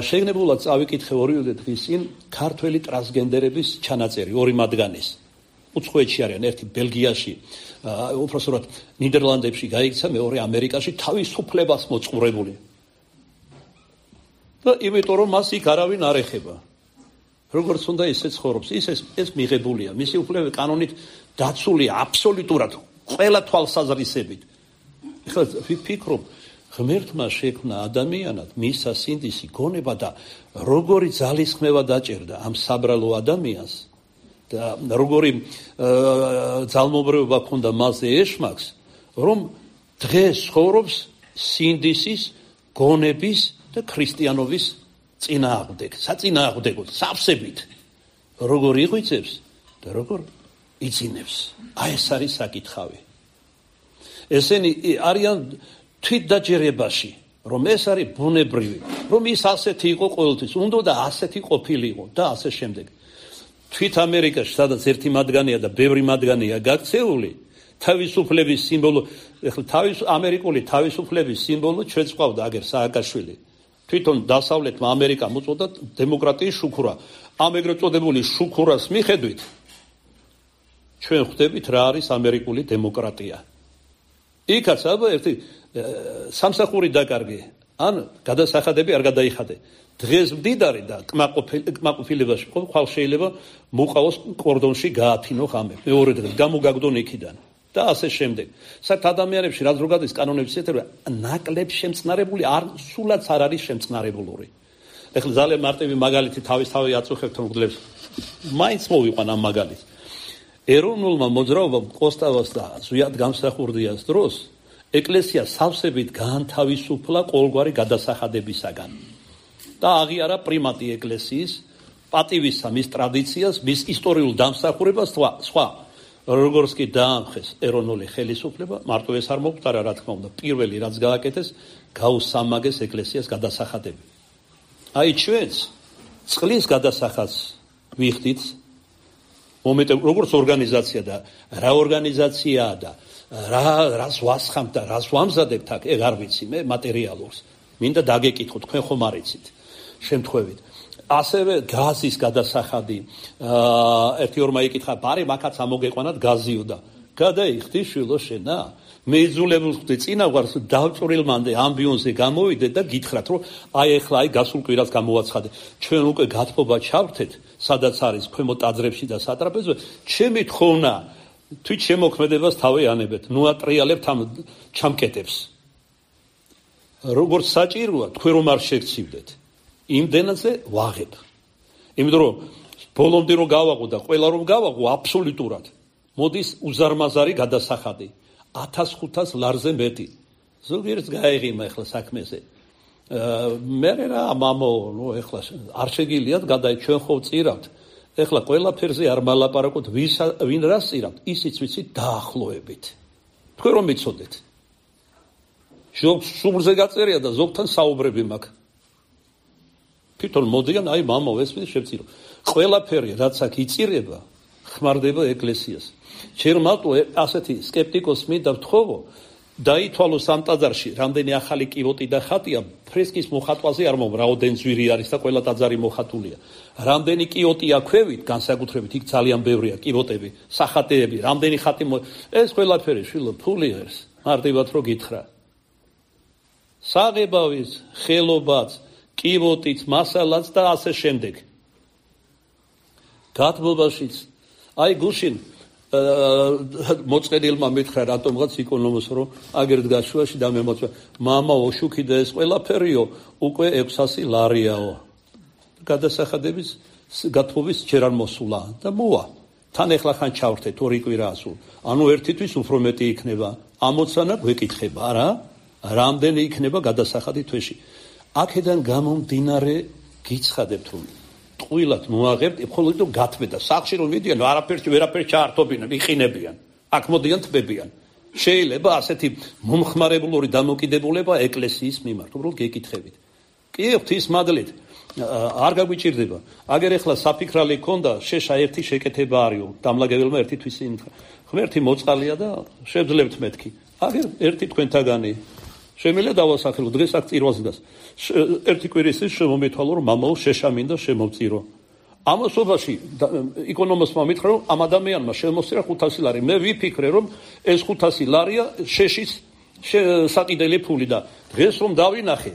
შეგნებულად წავიკითხე ორივე დღის წინ ქართველი ტრანსგენდერების ჩანაწერი, ორი მათგანის. უცხოეთში არიან, ერთი ბელგიაში, უпроსტად ნიდერლანდებში გაიქცა, მეორე ამერიკაში თავისუფლებას მოწყურებული. და იმიტომ რომ მას იქ არავინ არ ეხება. როგორც უნდა ისე ცხოვრობს, ის ეს მიღებულია, მისი უფლებები კანონით დაცულია აბსოლუტურად ყველა თვალსაზრისებით. ეხლა ვფიქრობ, ღმერთმა შექმნა ადამიანად, მისცა სინდისი, გონება და როგორი ძალისხმევა დაჭერდა ამ საბრალო ადამიანს და როგორი ძალმობრეობა ჰქონდა მასზე ეშმაკს, რომ დღეს ცხოვრობს სინდისის, გონების და ქრისტიანობის წინააღმდეგ, საწინააღმდეგოდ, სავსებით. როგორ იღვიძებს და როგორ იძინებს. აი ეს არის საკითხავი. ესენი არიან თვითდაჯერებაში, რომ ეს არის ბუნებრივი, რომ ის ასეთი იყო ყოველთვის, უნდა და ასეთი ყოფილიყო და ასე შემდეგ. თვით ამერიკაში, სადაც ერთი მათგანია და ბევრი მათგანია გაქცეული, თავისუფლების სიმბოლო, ეხლა თავის ამერიკული თავისუფლების სიმბოლო ჩვენც ყავდა აგერ სააკაშვილი. თვითონ დასავლეთმა ამერიკამ უწოდა დემოკრატიის შუქურა. ამ ეგრეთ წოდებული შუქურას მიხედვით ჩვენ ხვდებით რა არის ამერიკული დემოკრატია. იქაც აბა ერთი სამსახური დაკარგე, ან გადასახადები არ გადაიხადე. დღეს მდიდარი და კმაყოფილებაში ხო ხვალ შეიძლება მოყავოს კორდონში გაათინო ხამე. მეორე დღეს გამოგაგდონ იქიდან და ასე შემდეგ. საერთოდ ადამიანებში რაც რო გადის კანონების ეთერა ნაკლებ შემწნარებული არ სულაც არ არის შემწნარებულური. ეხლა ძალიან მარტივი მაგალითი თავისთავად აწუხებთ მგლებს. მაინც მოვიყვან ამ მაგალითს. ეროვნულმა მოძრაობამ კოსტავას და ზვიად გამსახურდიას დროს ეკლესია სავსებით გაანთავისუფლა ყოველგვარი გადასახადებისაგან და აღიარა პრიმატი ეკლესიის პატივისა მის ტრადიციას, მის ისტორიულ დამსახურებას სხვა. როგორც კი დაამხეს ეროვნული ხელისუფლება, მარტო ეს არ მოგვტარა, რა თქმა უნდა, პირველი რაც გააკეთეს, გაუსამაგეს ეკლესიას გადასახადები. აი ჩვენც წყლის გადასახადს ვიხდით, მომენტ როგორც ორგანიზაცია და რა ორგანიზაციაა და რა რას ვასხამთ და რას ვამზადებთ აქ, ეგ არ ვიცი მე მატერიალურს. მინდა დაგეკითხოთ, თქვენ ხომ არ იცით შემთხვევით. ასევე გაზის გადასახადი, ერთი ორმა იკითხა, ბარი მაგაც ამოგეყვანათ გაზიო და გადაიხდი შვილო შენა. მე იძულებულ ხდი წინა გვარს დავწვრილმანდე ამბიონზე გამოვიდე და გითხრათ, რომ აი ეხლა აი გასულ კვირას გამოვაცხადე. ჩვენ უკვე გათბობა ჩავთეთ, სადაც არის ქვემო ტაძრებში და სატრაპეზოზე. ჩემი თხოვნა თვით შემოქმედებას თავი ანებეთ, ნუ ატრიალებთ ამ ჩამკეტებს. როგორც საჭიროა, თქვენ რომ არ შეგცივდეთ. იმდენაზე ვაღებ. იმიტომ რომ ბოლომდე რომ გავაღო და ყველა რომ გავაღო აბსოლუტურად მოდის უზარმაზარი გადასახადი ათას ხუთას ლარზე მეტი. ზოგიერთ გაეღიმა ახლა საქმეზე. მე რა მამო, ნუ ახლა არ შეგიძლიათ გადაი ჩვენ ხო წირავთ. ახლა ყველაფერზე არ მალაპარაკოთ, ვინ რას წირავთ, ისიც ვიცით დაახლოებით. თქვენ რომ მიცოდეთ. ზოგ სულზე გაწერია და ზოგთან საუბრები მაქვს. თვითონ მოდიან, აი მამო, ეს შევწირო. ყველაფერი რაც აქ იწირება, ხმარდება ეკლესიას. ჯერ მარტო ასეთი სკეპტიკოს მინდა ვთხოვო, დაითვალო სამ ტაძარში, რამდენი ახალი კივოტი და ხატია, ფრესკის მოხატვაზე არ მომ, რაოდენ ძვირი არის და ყველა ტაძარი მოხატულია. რამდენი კიოტია ქვევით, განსაკუთრებით იქ ძალიან ბევრია კივოტები, სახატეები, რამდენი ხატი ეს ყველაფერი შვილო ფული არის, მარტივად რო გითხრა. საღებავის, ხელობაც, კივოტიც, მასალაც და ასე შემდეგ. გათბობაშიც, აი გუშინ მოწყენილმა მითხრა რატომღაც იკონომოს რომ აგერ დგას შუაში და მე მოწვა მამა ოშუქი და ეს ყველაფერიო უკვე ექვსასი ლარიაო. გადასახადების გათბობის ჯერ არ მოსულა და მოვა. თან ეხლა ხან ჩავრთეთ ორი კვირაა სულ. ანუ ერთი თვის უფრო მეტი იქნება. ამოცანა გვეკითხება რა? რამდენი იქნება გადასახადი თვეში? აქედან გამომდინარე გიცხადებთ რომ ტყუილად მოაღებთ, მხოლოდ რომ გათბედა. სახლში რომ მიდიან, არაფერში ვერაფერს ჩაართობინან, იყინებიან. აქ მოდიან თბებიან. შეიძლება ასეთი მომხმარებლური დამოკიდებულება ეკლესიის მიმართ, უბრალოდ გეკითხებით. კი, ღვთის მადლით არ გაგვიჭირდება. აგერ ეხლა საფიქრალი ქონდა, შეშა ერთი შეკეთება არისო, დამლაგებელმა ერთი თვისი იმთხა. ღმერთი მოწყალია და შევძლებთ მეთქი. აგერ ერთი თქვენთაგანი შემიძლია დავასახელო, დღეს აქ წირვას დგას. ერთი კვირის ის შემომეთვალო, რომ მამაო შეშამინდა შემოვწირო. ამასობაში იკონომოსმა მითხრა, რომ ამ ადამიანმა შემოსწირა ხუთასი ლარი. მე ვიფიქრე, რომ ეს ხუთასი ლარია შეშის საკიდელი ფული და დღეს რომ დავინახე,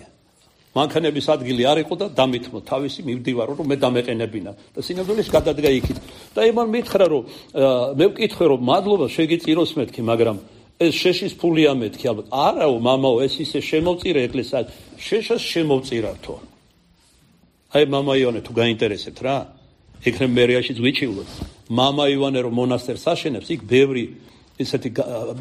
მანქანების ადგილი არ იყო და დამithმო თავისი მივდივარო, რომ მე დამეყენებინა და სინამდვილეს გადადგა იქით. და იმან მითხრა, რომ მე ვკითხე, რომ მადლობა შეგიწიროს მეთქი, მაგრამ ეს შეშის ფულია მეთქი ალბათ. არაო მამაო, ეს ისე შემოვწირე ეკლესია, შეშას შემოვწირართო. აი მამა ივანე თუ გაინტერესებთ რა, იქნებ მერიაში ვიჩივლოთ. მამა ივანე რომ მონასტერს აშენებს, იქ ბევრი ესეთი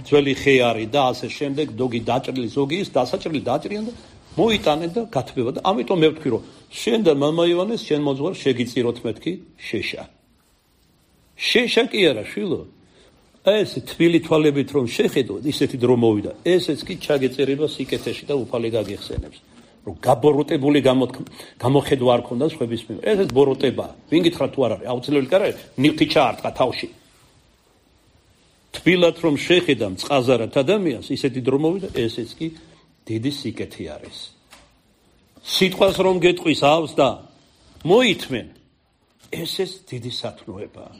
ძველი ხე არის და ასე შემდეგ, დოგი დაჭრილი, ზოგი ის დასაჭრილი დაჭრიან და მოიტანენ და გათბება და ამიტომ მე ვთქვი, რომ შენ და მამა ივანეს შენ მოძღვარ შეგიწიროთ მეთქი შეშა. შეშა კი არა, შვილო. ეს თბილი თვალებით რომ შეხედოთ, ისეთი დრო მოვიდა. ესეც კი ჩაგეწერება სიკეთეში და უფალი გაგიხსენებს. რომ გაბოროტებული გამოხედვა არ ქონდა სხვების მიმართ. ესეც ბოროტება. ვინ გითხრა თუ არ არის? აუცილებელი კი არა, ნივთი ჩაარტყა თავში. თბილად რომ შეხედა მწყაზარად ადამიანს, ისეთი დრო მოვიდა, ესეც კი დიდი სიკეთე არის. სიტყვას რომ გეტყვისავს და მოითმენ, ესეც დიდი სათნოებაა.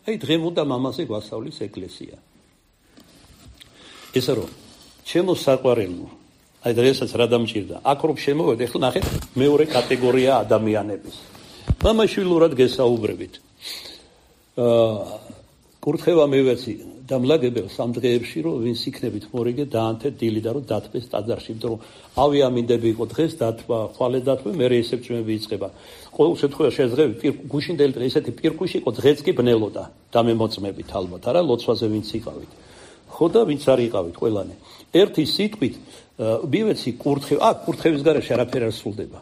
აი დღემდე მამაზე გვასწავლის ეკლესია. ესა რომ ჩემო საყვარელო, აი დღესაც რა დამჭირდა, აქ რომ შემოვედი, ახლა ნახეთ მეორე კატეგორია ადამიანების. მამაშვილურად გესაუბრებით. აა კურთხევა მივეცი დამლაგებელს ამ დღეებში, რომ ვინც იქნებით მორიგე დაანთეთ დილი და რომ დათბეს ტაძარში, იმიტომ რომ ავიამინდები იყო დღეს დათბა, ხვალე დათბა, მე რეისეპციები იწყება. ყოველ შემთხვევაში შეძღები გუშინდელი დღე ესეთი პირკუში იყო, დღეც კი ბნელოდა დამემოწმებით ალბათ, არა ლოცვაზე ვინც იყავით. ხო და ვინც არ იყავით ყველანი. ერთი სიტყვით მივეცი კურთხევა, აქ კურთხევის გარეშე არაფერი არ სრულდება.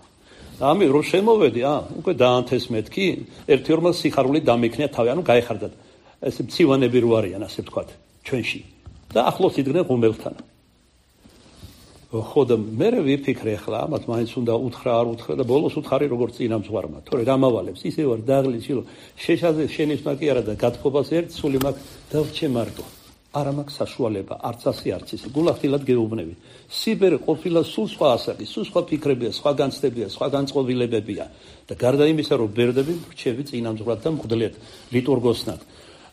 ამი რომ შემოვედი, აა უკვე დაანთეს მეთქი, ერთი ორმა სიხარული დამექნია თავი, ანუ გაეხარდათ. ეს მცივანები რო არიან, ასე ვთქვათ, ჩვენში. და ახლოს იდგნენ ღუმელთან. ხო და მე ვიფიქრე ახლა, ამათ მაინც უნდა უთხრა, არ უთხრა და ბოლოს უთხარი როგორც წინამძღვარმა. თორე რა მავალებს, ისე ვარ დაღლი შილო. შეშაზე შენის მაგი არა და გათხოვას ერთ სული მაგ დავჩე მარტო. არა მაქვს საშუალება, არც ასე არც ისე. გულახდილად გეუბნები. სიბერე ყოფილა სულ სხვა ასაკი, სულ სხვა ფიქრებია, სხვა განცდებია, სხვა განწყობილებებია. და გარდა იმისა, რომ ბერდები რჩები წინამძღვრად და მღვდლად, ლიტურგოსნად.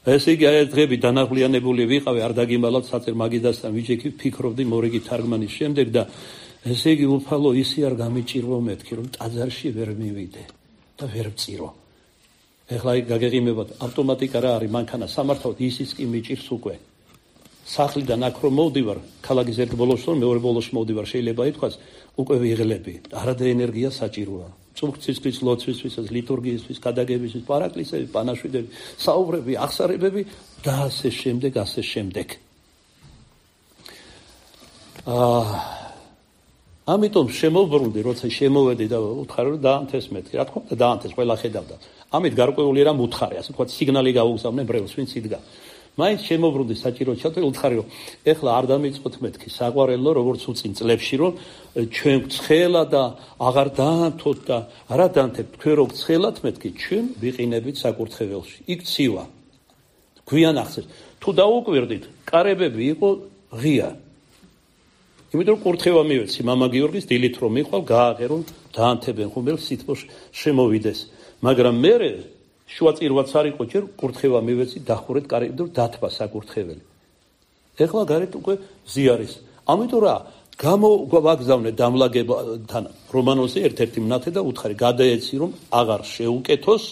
ესე იგი აი დღეები დანაღლიანებული ვიყავი, არ დაგიმალავთ საწერ მაგიდასთან ვიჯექი, ფიქრობდი მორიგი თარგმანის შემდეგ და ესე იგი უფალო ისი არ გამიჭირვო მეთქი, რომ ტაძარში ვერ მივიდე და ვერ ვწირო. ეხლა აი გაგეღიმებათ, ავტომატიკა რა არის, მანქანა სამართავად ისიც კი მიჭირს უკვე. სახლიდან აქ რომ მოვდივარ, ქალაქის ერთ ბოლოში რომ მეორე ბოლოში მოვდივარ, შეიძლება ითქვას, უკვე ვიღლები. არადა ენერგია საჭიროა. წუხცისთვის, ლოცვისთვის, ლიტურგიისთვის, გადაგებისთვის, პარაკლისები, პანაშვიდები, საუბრები, აღსარებები და ასე შემდეგ, ასე შემდეგ. აა ამიტომ შემოbrunდი, როცა შემოვედი და უთხარი რომ დაანთეს მეთქი. რა თქმა უნდა დაანთეს, ყველა ხედავდა. ამით გარკვეული რამ უთხარი, ასე ვთქვათ, სიგნალი გაუგზავნე ბრელს, ვინც იდგა. მაინც შემოbrunდი საჭირო ჩათვლი უთხარი რომ ეხლა არ დამიწყოთ მეთქი საყვარელო როგორც უწინ წლებში რომ ჩვენ ცხელა და აღარ დაანთოთ და არა დაანთებთ თქვენ რო ცხელათ მეთქი ჩვენ ვიყინებით საკურთხეველში იქ ცივა გვიან ახსენს თუ დაუკვირდით კარებები იყო ღია იმიტომ კურთხევა მივეცი მამა გიორგის დილით რომ მიყვალ გააღერო დაანთებენ ხუმელს სიტყვა შემოვიდეს მაგრამ მე შუაწირვაც არ იყო ჯერ კურთხევა მივეცი დახურეთ კარები და დათბა საკურთხეველი. ეხლა გარეთ უკვე ზიარის. ამიტომ რა გამოვაგზავნე დამლაგებთან რომანოზე ერთ-ერთი მნათე და უთხარი გადაეცი რომ აღარ შეუკეთოს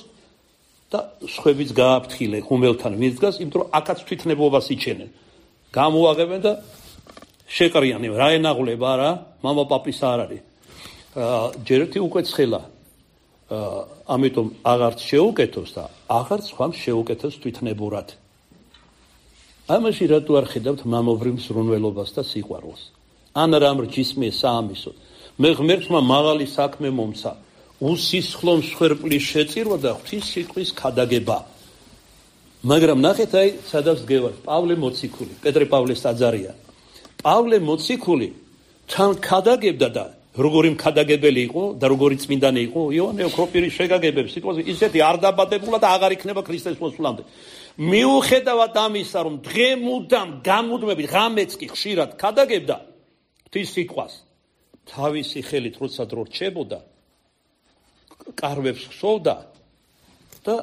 და სხვებიც გააფრთხილე ხუმელთან ვინც დგას, იმიტომ რომ აქაც თვითნებობას იჩენენ. გამოუაღებენ და შეყრიანე რა ენაღლება რა, მამა პაპის არ არის. ჯერ ერთი უკვე ცხელა ამიტომ აღარც შეუკეთოს და აღარც ხომ შეუკეთოს თვითნებურად. ამაში რატო არ ხედავთ მამობრივ ზრუნველობას და სიყვარულს? ან რამ რჯისმე საამისო. მე ღმერთმა მაღალი საქმე მომცა. უსისხლო მსხვერპლის შეწირვა და ღვთის სიტყვის ქადაგება. მაგრამ ნახეთ აი სადაც გევარ, პავლე მოციქული, პეტრე პავლეს ტაძარია. პავლე მოციქული თან ქადაგებდა და როგორი მქადაგებელი იყო და როგორი წმინდანი იყო იოანე ოქროპირის შეგაგებებს სიტყვაზე ისეთი არ დაბადებულა და აღარ იქნება ქრისტეს მოსვლამდე. მიუხედავად ამისა რომ დღემუდამ გამუდმებით ღამეც კი ხშირად ქადაგებდა ღვთის სიტყვას თავისი ხელით როცა დრო რჩებოდა კარვებს ხსოვდა და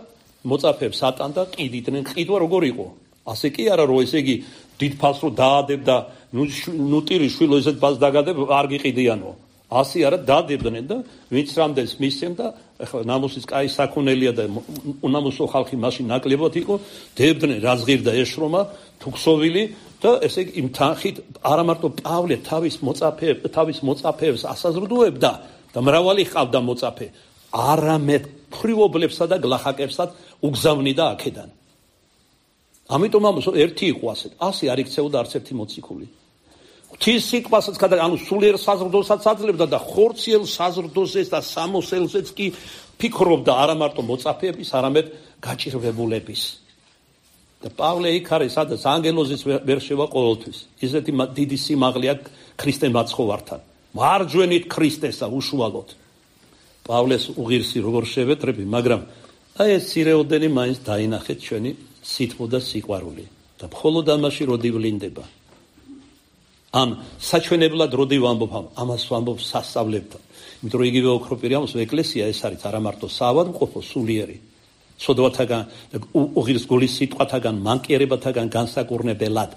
მოწაფეებს ატანდა ყიდიდნენ. ყიდვა როგორ იყო? ასე კი არა რომ ესე იგი დიდ ფალს რო დაადებდა ნუ ნუ ტირი შვილო ესეთ ფალს დაგადებ არ გიყიდიანო. ასე არა დადებდნენ და ვინც რამდენს მისცემ და ახლა ნამუსის კაი საქონელია და უნამუსო ხალხი მაშინ ნაკლებად იყო დებდნენ რა ზღირდა ეშრომა თუქსოვილი და ესე იგი იმ თანხით არა მარტო პავლე თავის მოწაფეებს თავის მოწაფეებს ასაზრდუებდა და მრავალი ყავდა მოწაფე არამედ ფრივობლებსა და გლახაკებსაც უგზავნიდა აქედან. ამიტომ ამას ერთი იყო ასეთ ასე არ იქცეოდა არც ერთი მოციქული. ღვთის სიტყვასაც გადა ანუ სულიერ საზრდოსაც აძლევდა და ხორციელ საზრდოზეს და სამოსელზეც კი ფიქრობდა არა მარტო მოწაფეების არამედ გაჭირვებულების. და პავლე იქ არის, სადაც ანგელოზის ვერ შევა ყოველთვის. ისეთი დიდი სიმაღლე აქვს ქრისტე მაცხოვართან. მარჯვენით ქრისტესა უშუალოდ. პავლეს უღირსი როგორ შევეტრები, მაგრამ აი ეს ცირეოდენი მაინც დაინახეთ ჩვენი სითბო და სიყვარული და მხოლოდ ამაში როდი ვლინდება. ამ საჩვენებლად როდი ვამბობ, ამას ვამბობ სასწავლებთან. იმიტომ რომ იგივე ოქროპირიამოს ეკლესია ეს არის არა მარტო საავადმყოფო სულიერი, სოდვათაგან უღირს გულის სიტყვათაგან, მანკიერებათაგან განსაკურნებელად,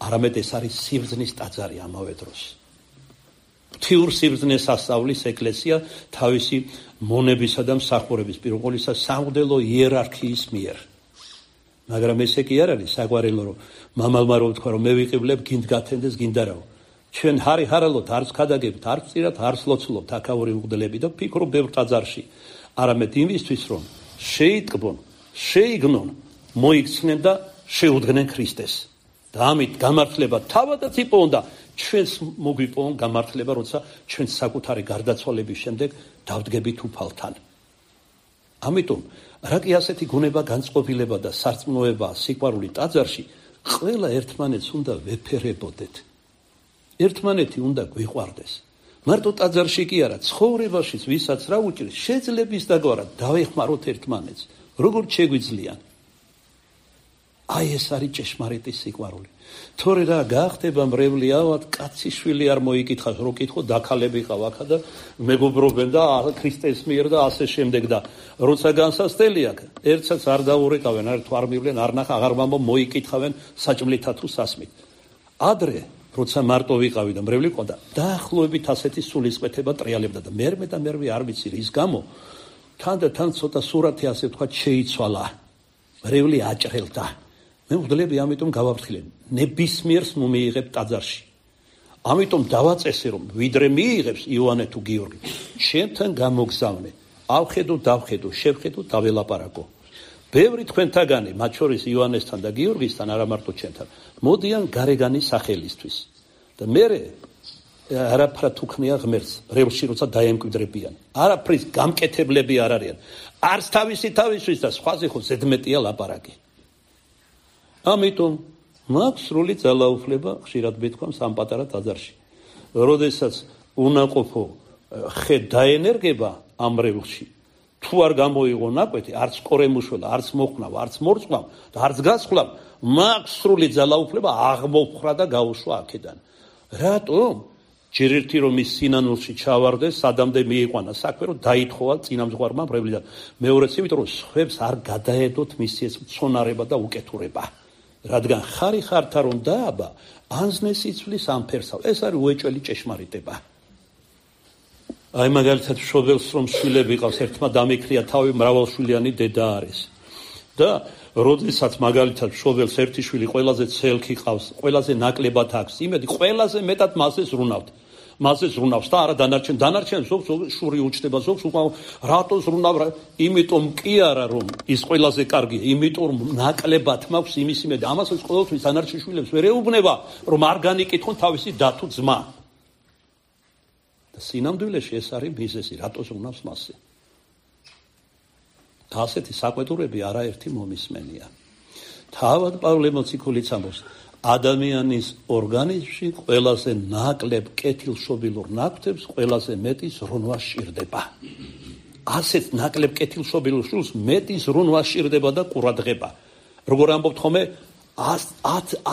არამედ ეს არის სიბრძნის ტაძარი ამავე დროს. ღვთიურ სიბრძნეს ასწავლის ეკლესია თავისი მონებისა და მსახურების პირველ ყოვლისა სამღვდელო იერარქიის მიერ. მაგრამ ესე კი არ არის საგვარელო, რომ მამალმა რო თქვა, რომ მე ვიყივლებ, გინდ გათენდეს, გინდ არაო. ჩვენ ჰარი ჰარალოთ, არც ქადაგებთ, არც წირათ, არც ლოცულობთ აქაური უგდლები და ფიქრობ ბევრ ტაძარში. არამედ იმისთვის, რომ შეიტკბონ, შეიგნონ, მოიქცნენ და შეუდგნენ ქრისტეს. და ამით გამართლება თავადაც იპოვონ ჩვენს მოგვიპოვონ გამართლება, როცა ჩვენ საკუთარი გარდაცვალების შემდეგ დავდგებით უფალთან. ამიტომ რა კი ასეთი გუნება განწყობილება და სარწმუნოება სიყვარული ტაძარში, ყველა ერთმანეთს უნდა ვეფერებოდეთ. ერთმანეთი უნდა გვიყვარდეს. მარტო ტაძარში კი არა, ცხოვრებაშიც ვისაც რა უჭირს, შეძლების დაგვარა დავეხმაროთ ერთმანეთს, როგორ შეგვიძლიან. აი ეს არის ჭეშმარიტი სიყვარული. თორე რა გაახდება მრევლი ავად, კაცი შვილი არ მოიკითხავს, რო კითხო დაქალები ყავ აქა და მეგობრობენ და ქრისტეს მიერ და ასე შემდეგ და როცა განსასწრელი აქვს, ერთსაც არ დაურეკავენ, არ თუ არ მივლენ, არ ნახა, აღარ მამო მოიკითხავენ საჭმლითა თუ სასმით. ადრე როცა მარტო ვიყავი და მრევლი ყავდა, დაახლოებით ასეთი სულისკვეთება ტრიალებდა და მერმე და მერმე არ ვიცი რის გამო, თან და თან ცოტა სურათი ასე თქვა შეიცვალა. მრევლი აჭრელდა. მე ვგდლები ამიტომ გავაფრთხილე, ნებისმიერს მომიიღებ ტაძარში. ამიტომ დავაწესე, რომ ვიდრე მიიღებს იოანე თუ გიორგი, ჩემთან გამოგზავნე, ავხედო, დავხედო, შევხედო, დაველაპარაკო. ბევრი თქვენთაგანი, მათ შორის იოანესთან და გიორგისთან, არა მარტო ჩემთან, მოდიან გარეგანი სახელისთვის. და მერე არაფრად უქნია ღმერთს, რევლში როცა დაემკვიდრებიან. არაფრის გამკეთებლები არ არიან. არც თავისი თავისთვის და სხვაზე ხო ზედმეტია ლაპარაკი. ამიტომ მაქვს სრული ძალაუფლება, ხშირად მეთქვამს ამ პატარა ტაძარში. როდესაც უნაყოფო ხე დაენერგება ამ რევლში, თუ არ გამოიღო ნაკვეთი, არც ყორემუშველა, არც მოხნავ, არც მორწყვავ და არც გასხვლავ, მაქვს სრული ძალაუფლება აღმოფხრა და გაუშვა აქედან. რატომ? ჯერ ერთი რომ ის სინანულში ჩავარდეს, სადამდე მიიყვანა საქმე, რომ დაითხოვა წინამძღვარმა მრევლიდან. მეორეც იმიტომ რომ სხვებს არ გადაედოთ მისი ეს მცონარება და უკეთურება. რადგან ხარი ხართა რომ დააბა, ანზნეს იცვლის ამ ფერსავ. ეს არის უეჭველი ჭეშმარიტება. აი მაგალითად მშობელს რომ შვილები ყავს, ერთმა დამიქრია თავი, მრავალშვილიანი დედა არის. და როდესაც მაგალითად მშობელს ერთი შვილი ყველაზე ცელქი ყავს, ყველაზე ნაკლებად აქვს, იმედი ყველაზე მეტად მასზე ზრუნავთ. მასზე ზრუნავს და არა დანარჩენ, დანარჩენ ზოგს შური უჩნდება, ზოგს უკავ რატო ზრუნავ, იმიტომ კი არა რომ ის ყველაზე კარგია, იმიტომ რომ ნაკლებად მაქვს იმის იმედი. ამასაც ყოველთვის დანარჩენ შვილებს ვერ ეუბნება, რომ არ განიკითხონ თავისი და თუ ძმა. და სინამდვილეში ეს არის მიზეზი, რატო ზრუნავს მასზე. და ასეთი საკვეთურები არაერთი მომისმენია. თავად პავლე მოციქულიც ამბობს, ადამიანის ორგანიზმში ყველაზე ნაკლებ კეთილშობილურ ნაკვთებს ყველაზე მეტი ზრუნვა სჭირდება. ასეთ ნაკლებ კეთილშობილურ შვილს მეტი ზრუნვა სჭირდება და ყურადღება. როგორ ამბობთ ხოლმე,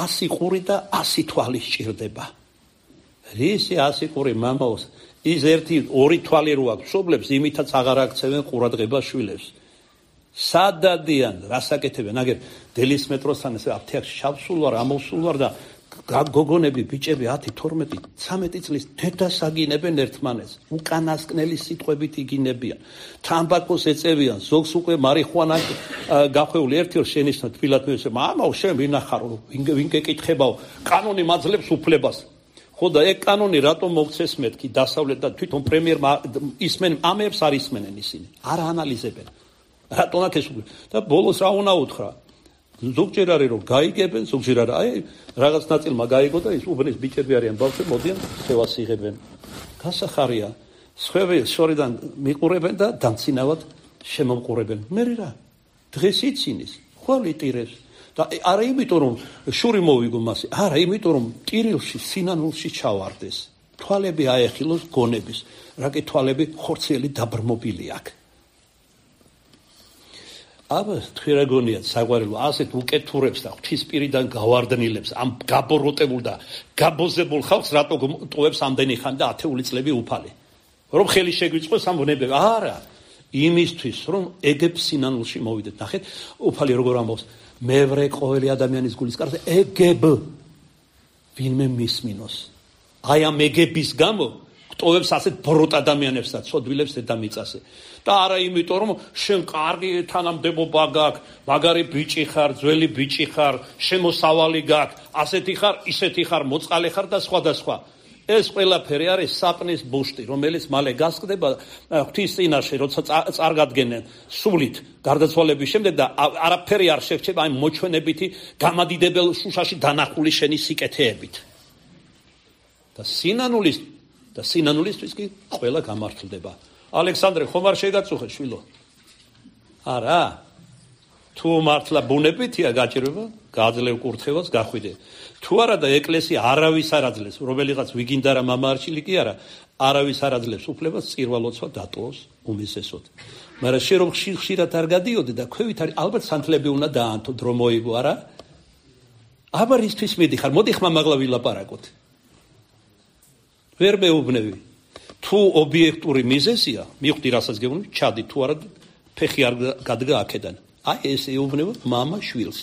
ასი ყური და ასი თვალი სჭირდება. რისი ასი ყური მამაოს, ის ერთი ორი თვალი რო აქვს მშობლებს, იმითაც აღარ აქცევენ ყურადღება შვილებს. სადადიან, რასაკეთებენ, აგერ დელის მეტროსთან ესე აფთიაქში შავსულ ვარ, ამოვსულ ვარ და გოგონები, ბიჭები ათი, თორმეტი, ცამეტი წლის დედას აგინებენ ერთმანეთს, უკანასკნელი სიტყვებით იგინებიან, თამბაქოს ეწევიან, ზოგს უკვე მარიხუანა გახვეული ერთი ორ შენიშნა თბილად მეუσε, მამაო, შენ ვინახარო, ვინ გეკითხებაო, კანონი მაძლევს უფლებას. ხო და ეგ კანონი რატომ მოგცეს მეთქი დასავლეთ და თვითონ პრემიერ ისმენ ამებს არ ისმენენ ისინი, არ ანალიზებენ. რატომ აქ ეს და ბოლოს რა უნდა უთხრა? ზოგჯერ არის რომ გაიგებენ, ზოგჯერ არა. აი რაღაც ნაწილმა გაიგო და ის უბნის ბიჭები არიან ბავშვები, მოდიან ხევას იღებენ. გასახარია, სხვები შორიდან მიყურებენ და დამცინავად შემომყურებენ. მე რა? დღეს იცინის, ხვალ იტირებს. და არა იმიტომ რომ შური მოვიგო მასე, არა იმიტომ რომ ტირილში სინანულში ჩავარდეს. თვალები აეხილოს გონების, რაკი თვალები ხორციელი დაბრმობილი აქვს. აბა თვირაგონიათ საყვარელო ასეთ უკეთურებს და ღვთისპირიდან გავარდნილებს ამ გაბოროტებულ და გაბოზებულ ხალხს რატო ტოვებს ამდენი ხანი და ათეული წლები უფალი რომ ხელი შეგვიწყოს ამ ბუნებები არა იმისთვის რომ ეგებ სინანულში მოვიდეთ ნახეთ უფალი როგორ ამბობს მე ვრე ყოველი ადამიანის გულის კარზე ეგებ ვინმე მისმინოს აი ამ ეგების გამო ტოვებს ასეთ ბროტ ადამიანებს და ცოდვილებს დედამიწაზე და არა იმიტომ რომ შენ კარგი თანამდებობა გაქვს, მაგარი ბიჭი ხარ, ძველი ბიჭი ხარ, შემოსავალი გაქვს, ასეთი ხარ, ისეთი ხარ, მოწყალე ხარ და სხვა და სხვა. ეს ყველაფერი არის საპნის ბუშტი, რომელიც მალე გასკდება ღვთის წინაშე, როცა წარგადგენენ სულით გარდაცვალების შემდეგ და არაფერი არ შერჩება აი მოჩვენებითი გამადიდებელ შუშაში დანახული შენი სიკეთეებით. და სინანულის და სინანულისთვის კი ყველა გამართლდება. ალექსანდრე ხომ არ შეგაწუხე შვილო? არა. თუ მართლა ბუნებითია გაჭირება, გააძლევ კურთხევას, გახვიდე. თუ არა და ეკლესია არავის არ აძლევს, რომელიღაც ვიგინდა რა მამა არჩილი კი არა, არავის არ აძლევს უფლებას წირვალოცვა დატოვოს უმისესოდ. მაგრამ შე რომ ხშირად არ გადიოდე და ქვევით არის ალბათ სანთლები უნდა დაანთო დრო მოიგო არა? აბა რისთვის მიდიხარ? მოდი ხმა მაღლა ვილაპარაკოთ. ვერ მეუბნები. თუ ობიექტური მიზეზია, მივხვდი რასაც გეუბნები, ჩადი თუ არა ფეხი არ გადგა აქედან. აი ეს ეუბნება მამა შვილს.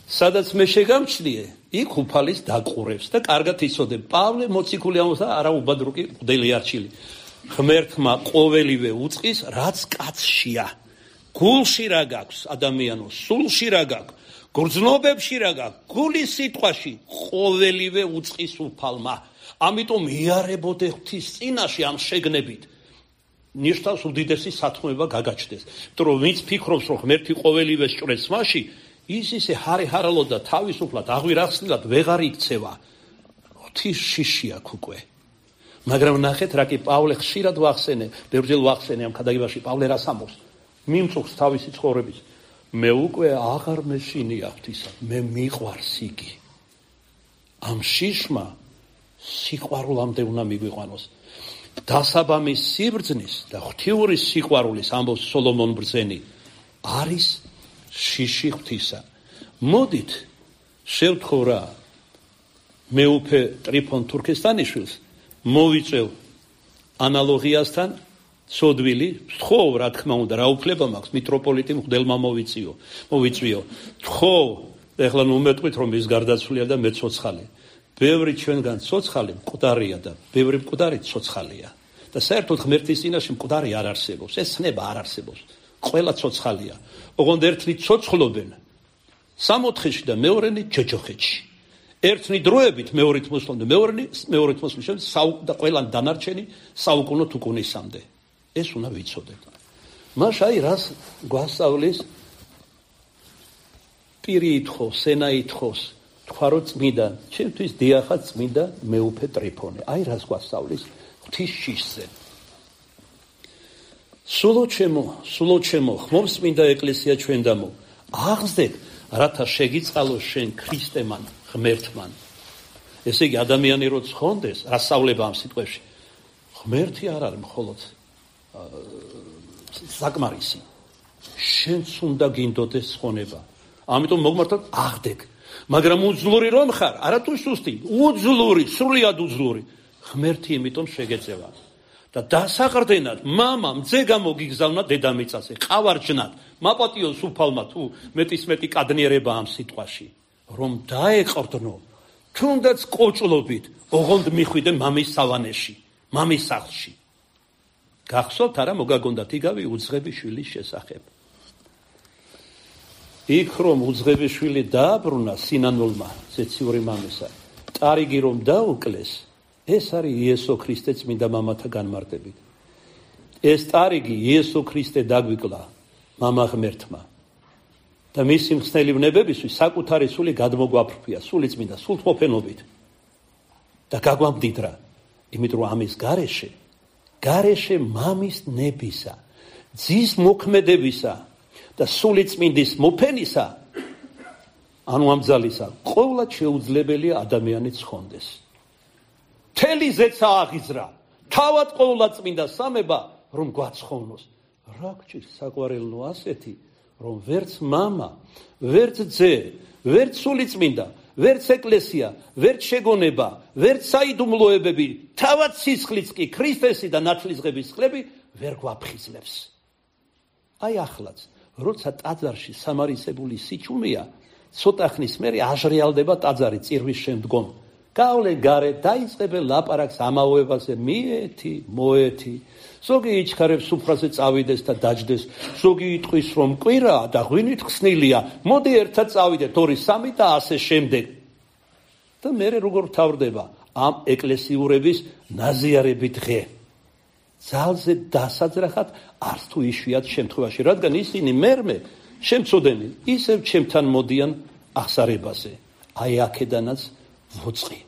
სადაც მე შეგამჩნიე, იქ უფალის დაყურებს და კარგად იცოდე. პავლე მოციქული ამბობს არა უბადრუკი მღვდელი არჩილი. ღმერთმა ყოველივე უწყის, რაც კაცშია. გულში რა გაქვს ადამიანო, სულში რა გაქვს, გრძნობებში რა გაქვს, გულის სიტყვაში ყოველივე უწყის უფალმა. ამიტომ იარებოდე ღვთის წინაშე ამ შეგნებით. ნიშნავს უდიდესი სათქმება გაგაჩნდეს. იმიტომ რომ ვინც ფიქრობს რომ ღმერთი ყოველივეს ჭრეს მასში, ის ისე ჰარი-ჰარალოდ და თავისუფლად აღვირახსნილად ვეღარ იქცევა. ღვთის შიში აქვს უკვე. მაგრამ ნახეთ რა კი პავლე ხშირად ვახსენე, ბევრჯერ ვახსენე ამ ქადაგებაში პავლე რას ამბობს? მიმწუხს თავისი ცხოვრების. მე უკვე აღარ მეშინია ღვთისა, მე მიყვარს იგი. ამ შიშმა სიყვარულამდე უნდა მიგვიყვანოს. დასაბამის სიბრძნის და ღვთიური სიყვარულის ამბობს სოლომონ ბრძენი არის შიში ღვთისა. მოდით შევთხოვ რა მეუფე ტრიფონ თურქესტანიშვილს მოვიწევ ანალოგიასთან სოდვილი თხოვ რა თქმა უნდა რა უფლება მაქვს მიტროპოლიტი მღვდელმა მოვიწიო მოვიწვიო თხოვ ეხლა ნუ მეტყვით რომ ის გარდაცვლია და მე ცოცხალი ბევრი ჩვენგან ცოცხალი მკვდარია და ბევრი მკვდარი ცოცხალია და საერთოდ ღმერთის წინაშე მკვდარი არ არსებობს ეს ცნება არ არსებობს ყველა ცოცხალია ოღონდ ერთნი ცოცხლობენ სამოთხეში და მეორენი ჯოჯოხეთში ერთნი დროებით მეორით მოსვლამდე მეორენი მეორით მოსვლის შემდეგ და ყველა დანარჩენი საუკუნოდ უკუნისამდე ეს უნდა ვიცოდეთ მას აი რას გვასწავლის პირი ითხოვს ენა ითხოვს თქვა რომ წმინდა ჩემთვის დიახა წმინდა მეუფე ტრიფონე აი რას გვასწავლის ღვთის შიშზე სულო ჩემო სულო ჩემო ხმობს წმინდა ეკლესია ჩვენ დამო აღზრდეთ რათა შეგიწყალოს შენ ქრისტემან ღმერთმან ესე იგი ადამიანი რო ცხონდეს რა სწავლება ამ სიტყვებში ღმერთი არ არის მხოლოდ საკმარისი შენც უნდა გინდოდეს ცხონება ამიტომ მოგმართოთ აღდგ მაგრამ უძლური რომ ხარ არა თუ სუსტი უძლური სრულიად უძლური ღმერთი იმიტომ შეგეწევა და დასაყრდენად მამა მძე გამოგიგზავნა დედამიწაზე ყავარჯნად მაპატიოს უფალმა თუ მეტის მეტი კადნიერება ამ სიტყვაში რომ დაეყრდნო თუნდაც კოჭლობით ოღონდ მიხვიდე მამის სავანეში მამის სახლში გახსოვთ არა მოგაგონდათ იგავი უძღები შვილის შესახებ იქ რომ უძღები შვილი დააბრუნა სინანულმა ზეციური მამისა ტარიგი რომ დაუკლეს ეს არის იესო ქრისტე წმინდა მამათა განმარტებით ეს ტარიგი იესო ქრისტე დაგვიკლა მამა ღმერთმა და მისი მხსნელი ვნებებისთვის საკუთარი სული გადმოგვაფრფია სული წმინდა სულთმოფენობით და გაგვამდიდრა იმიტომ რომ ამის გარეშე გარეშე მამის ნებისა ძის მოქმედებისა და სულიწმინდის მოფენისა, ანუ ამ ძალისა, ყოვლად შეუძლებელია ადამიანი ცხონდეს. მთელი ზეცა აღიზრა, თავად ყოვლადწმინდა სამება, რომ გვაცხოვნოს. რა გჭირს საყვარელნო ასეთი, რომ ვერც მამა, ვერც ძე, ვერც სულიწმინდა, ვერც ეკლესია, ვერც შეგონება, ვერც საიდუმლოებები, თავად სისხლიც კი ქრისტესი და ნათლისღების წყლები ვერ გვაფხიზლებს. აი ახლაც, როცა ტაძარში სამარისებული სიჩუმეა, ცოტა ხნის მერე აჟრიალდება ტაძარი წირვის შემდგომ. გავლე გარე დაიწყებენ ლაპარაკს ამავებაზე, მიეთი, მოეთი. ზოგი იჩქარებს სუფრაზე წავიდეს და დაჯდეს, ზოგი იტყვის რომ კვირაა და ღვინით ხსნილია, მოდი ერთად წავიდეთ, ორი, სამი და ასე შემდეგ. და მერე როგორ თავდება ამ ეკლესიურების ნაზიარები დღე. ძალზე დასაძრახად არც თუ იშვიათ შემთხვევაში, რადგან ისინი მერმე შემწოდენი ისევ ჩემთან მოდიან აღსარებაზე. აი აქედანაც ვოწყი.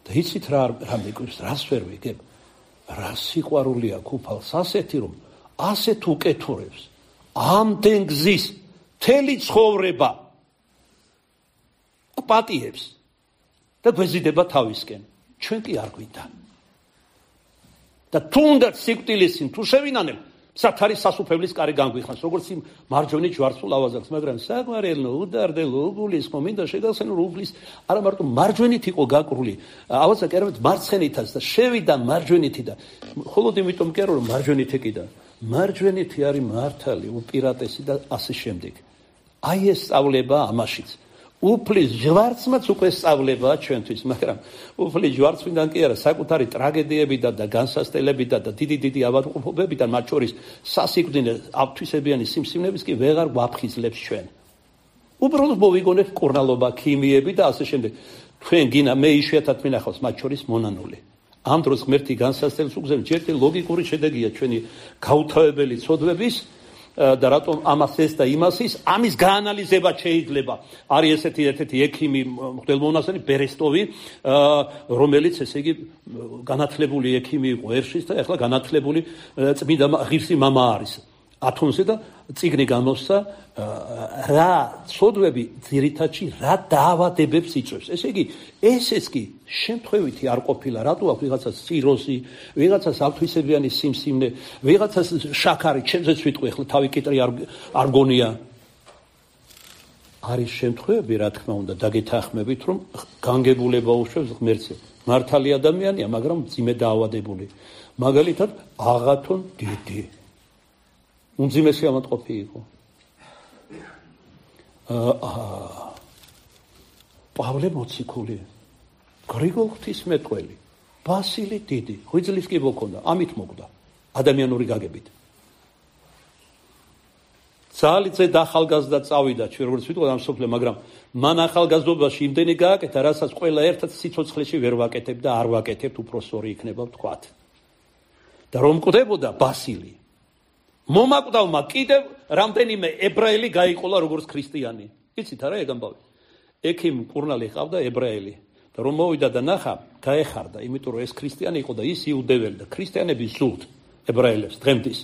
და იცით რა რა მეკვირს, რას ვერ ვიგებ? რა სიყვარულია ქუფალს ასეთი, რომ ასეთ უკეთურებს, ამდენ გზის, მთელი ცხოვრება კვატიებს და გვეზიდება თავისკენ. ჩვენ კი არ გვინდა. და თუნდაც სიკვდილისին თუ შევინანებ, სათავე სასუფევლის კარი განგვიხანს, როგორც იმ მარჯვენა ჯვარცულ ავაზაკს, მაგრამ საგვარელო, უდარდელო, უგულისხმო, მინდა შეგახსენო, რომ უფლის არა მარტო მარჯვენით იყო გაკრული, ავაზაკი არამედ მარცხენითაც და შევიდა მარჯვენითი და მხოლოდ იმიტომ კი არა, რომ მარჯვენით ეკიდა, მარჯვენითი არის მართალი, უპირატესი და ასე შემდეგ. აი ეს სწავლება ამაშიც. უფლის ჯვარცმაც უკვე სწავლებაა ჩვენთვის, მაგრამ უფლის ჯვარცმიდან კი არა, საკუთარი ტრაგედიებიდან და განსასწელებიდან და დიდი დიდი ავადმყოფობებიდან, მათ შორის სასიკვდინე ათვისებიანი სიმსივნების კი ვეღარ გვაფხიზლებს ჩვენ. უბრალოდ მოვიგონებთ კურნალობა, ქიმიები და ასე შემდეგ. თქვენ გინა მე იშვიათად მინახავს მათ შორის მონანული. ამ დროს ღმერთი განსასწელს უგზავნის, ჯერ ლოგიკური შედეგია ჩვენი გაუთავებელი ცოდვების და რატომ ამას ეს და იმას ის, ამის გაანალიზება შეიძლება. არის ესეთი ერთ-ერთი ექიმი, მღვდელმონასტერი ბერესტოვი, რომელიც ესე იგი განათლებული ექიმი იყო ერშის და ახლა განათლებული წმინდა ღირსი მამა არის. ათონზე და წიგნი გამოსცა რა ცოდვები ძირითადში რა დაავადებებს იწვევს. ესე იგი, ესეც კი შემთხვევითი არ ყოფილა, რატო აქვს ვიღაცას ციროზი, ვიღაცას ათვისებიანი სიმსივნე, ვიღაცას შაქარი, ჩემზეც ვიტყვი, ახლა თავი კიტრი არ გონია. არის შემთხვევები, რა თქმა უნდა, დაგეთანხმებით, რომ განგებულება უშვებს ღმერთზე. მართალი ადამიანია, მაგრამ მძიმე დაავადებული. მაგალითად, აღათონ დიდი უმძიმესი ავადმყოფი იყო. პავლე მოციქული, გრიგოლ ღვთისმეტყველი, ბასილი დიდი, ღვიძლის კიბო ჰქონდა, ამით მოკვდა, ადამიანური გაგებით. ძალიძე და ახალგაზრდა წავიდა, ჩვენ როგორც ვიტყოდ ამ სოფლე, მაგრამ მან ახალგაზრდობაში იმდენი გააკეთა, რასაც ყველა ერთად სიცოცხლეში ვერ ვაკეთებ და არ ვაკეთებ, უფროსორი იქნება ვთქვათ. და რომ მკვდებოდა ბასილი, მომაკვდავმა კიდევ რამდენიმე ებრაელი გაიყოლა როგორც ქრისტიანი. იცით არა ეგ ამბავი? ექიმ კურნალი ყავდა ებრაელი და რომ მოვიდა და ნახა, გაეხარდა, იმიტომ რომ ეს ქრისტიანი იყო და ის იუდეველი და ქრისტიანები ზუსტ ებრაელებს დღემდის,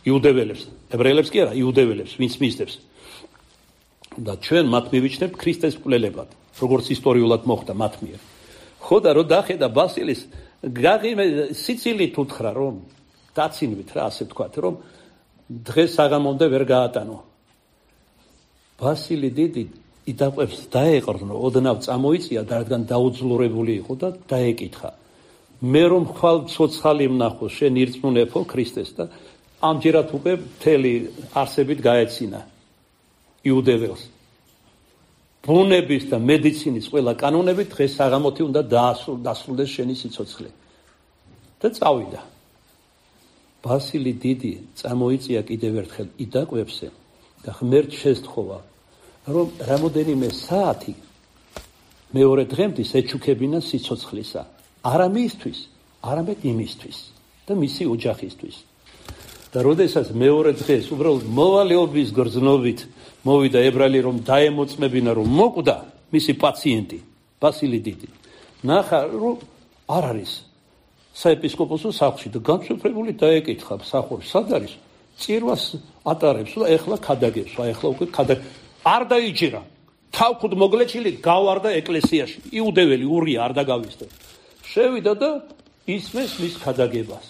იუდეველებს, ებრაელებს კი არა, იუდეველებს, ვინც მისდევს. და ჩვენ მათ მივიჩნევთ ქრისტეს მკვლელებად, როგორც ისტორიულად მოხდა მათ მიერ. ხო და რო დახედა ბასილის, გაღიმე სიცილით უთხრა რომ დაცინვით რა, ასე ვთქვათ, რომ დღეს საღამომდე ვერ გაატანო. ბასილი დიდი იდაყვებს დაეყრდნო, ოდნავ წამოიწია და რადგან დაუძლურებული იყო და დაეკითხა. მე რომ ხვალ ცოცხალი ვნახო, შენ ირწმუნებო ქრისტეს და ამჯერად უკვე მთელი არსებით გაეცინა იუდეველს. ბუნების და მედიცინის ყველა კანონები დღეს საღამოთი უნდა დაასრულდეს შენი სიცოცხლე. და წავიდა. ბასილი დიდი წამოიწია კიდევ ერთხელ იდაყვებსე და ღმერთ შესთხოვა, რომ რამოდენიმე საათი მეორე დღემდის ეჩუქებინა სიცოცხლისა, არა მისთვის, არამედ იმისთვის და მისი ოჯახისთვის. და როდესაც მეორე დღეს უბრალოდ მოვალეობის გრძნობით მოვიდა ებრაელი, რომ დაემოწმებინა, რომ მოკვდა მისი პაციენტი, ბასილი დიდი. ნახა, რომ არ არის საეპისკოპოსო სახლში და განსაკუთრებული დაეკითხა მსახურს, სად არის? წირვას ატარებს და ეხლა ქადაგებს, აი ეხლა უკვე ქადა არ დაიჯერა. თავქუდ მოგლეჩილი გავარდა ეკლესიაში. იუდეველი ურია არ დაგავისდა. შევიდა და ისმეს მის ქადაგებას.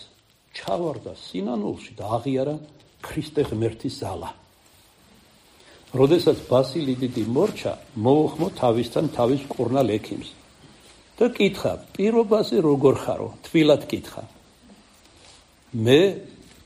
ჩავარდა სინანულში და აღიარა ქრისტე ღმერთის ზალა. როდესაც ბასილი დიდი მორჩა, მოუხმო თავისთან თავის მკურნალ ექიმს და კითხა, პირობაზე როგორ ხარო? თბილად კითხა. მე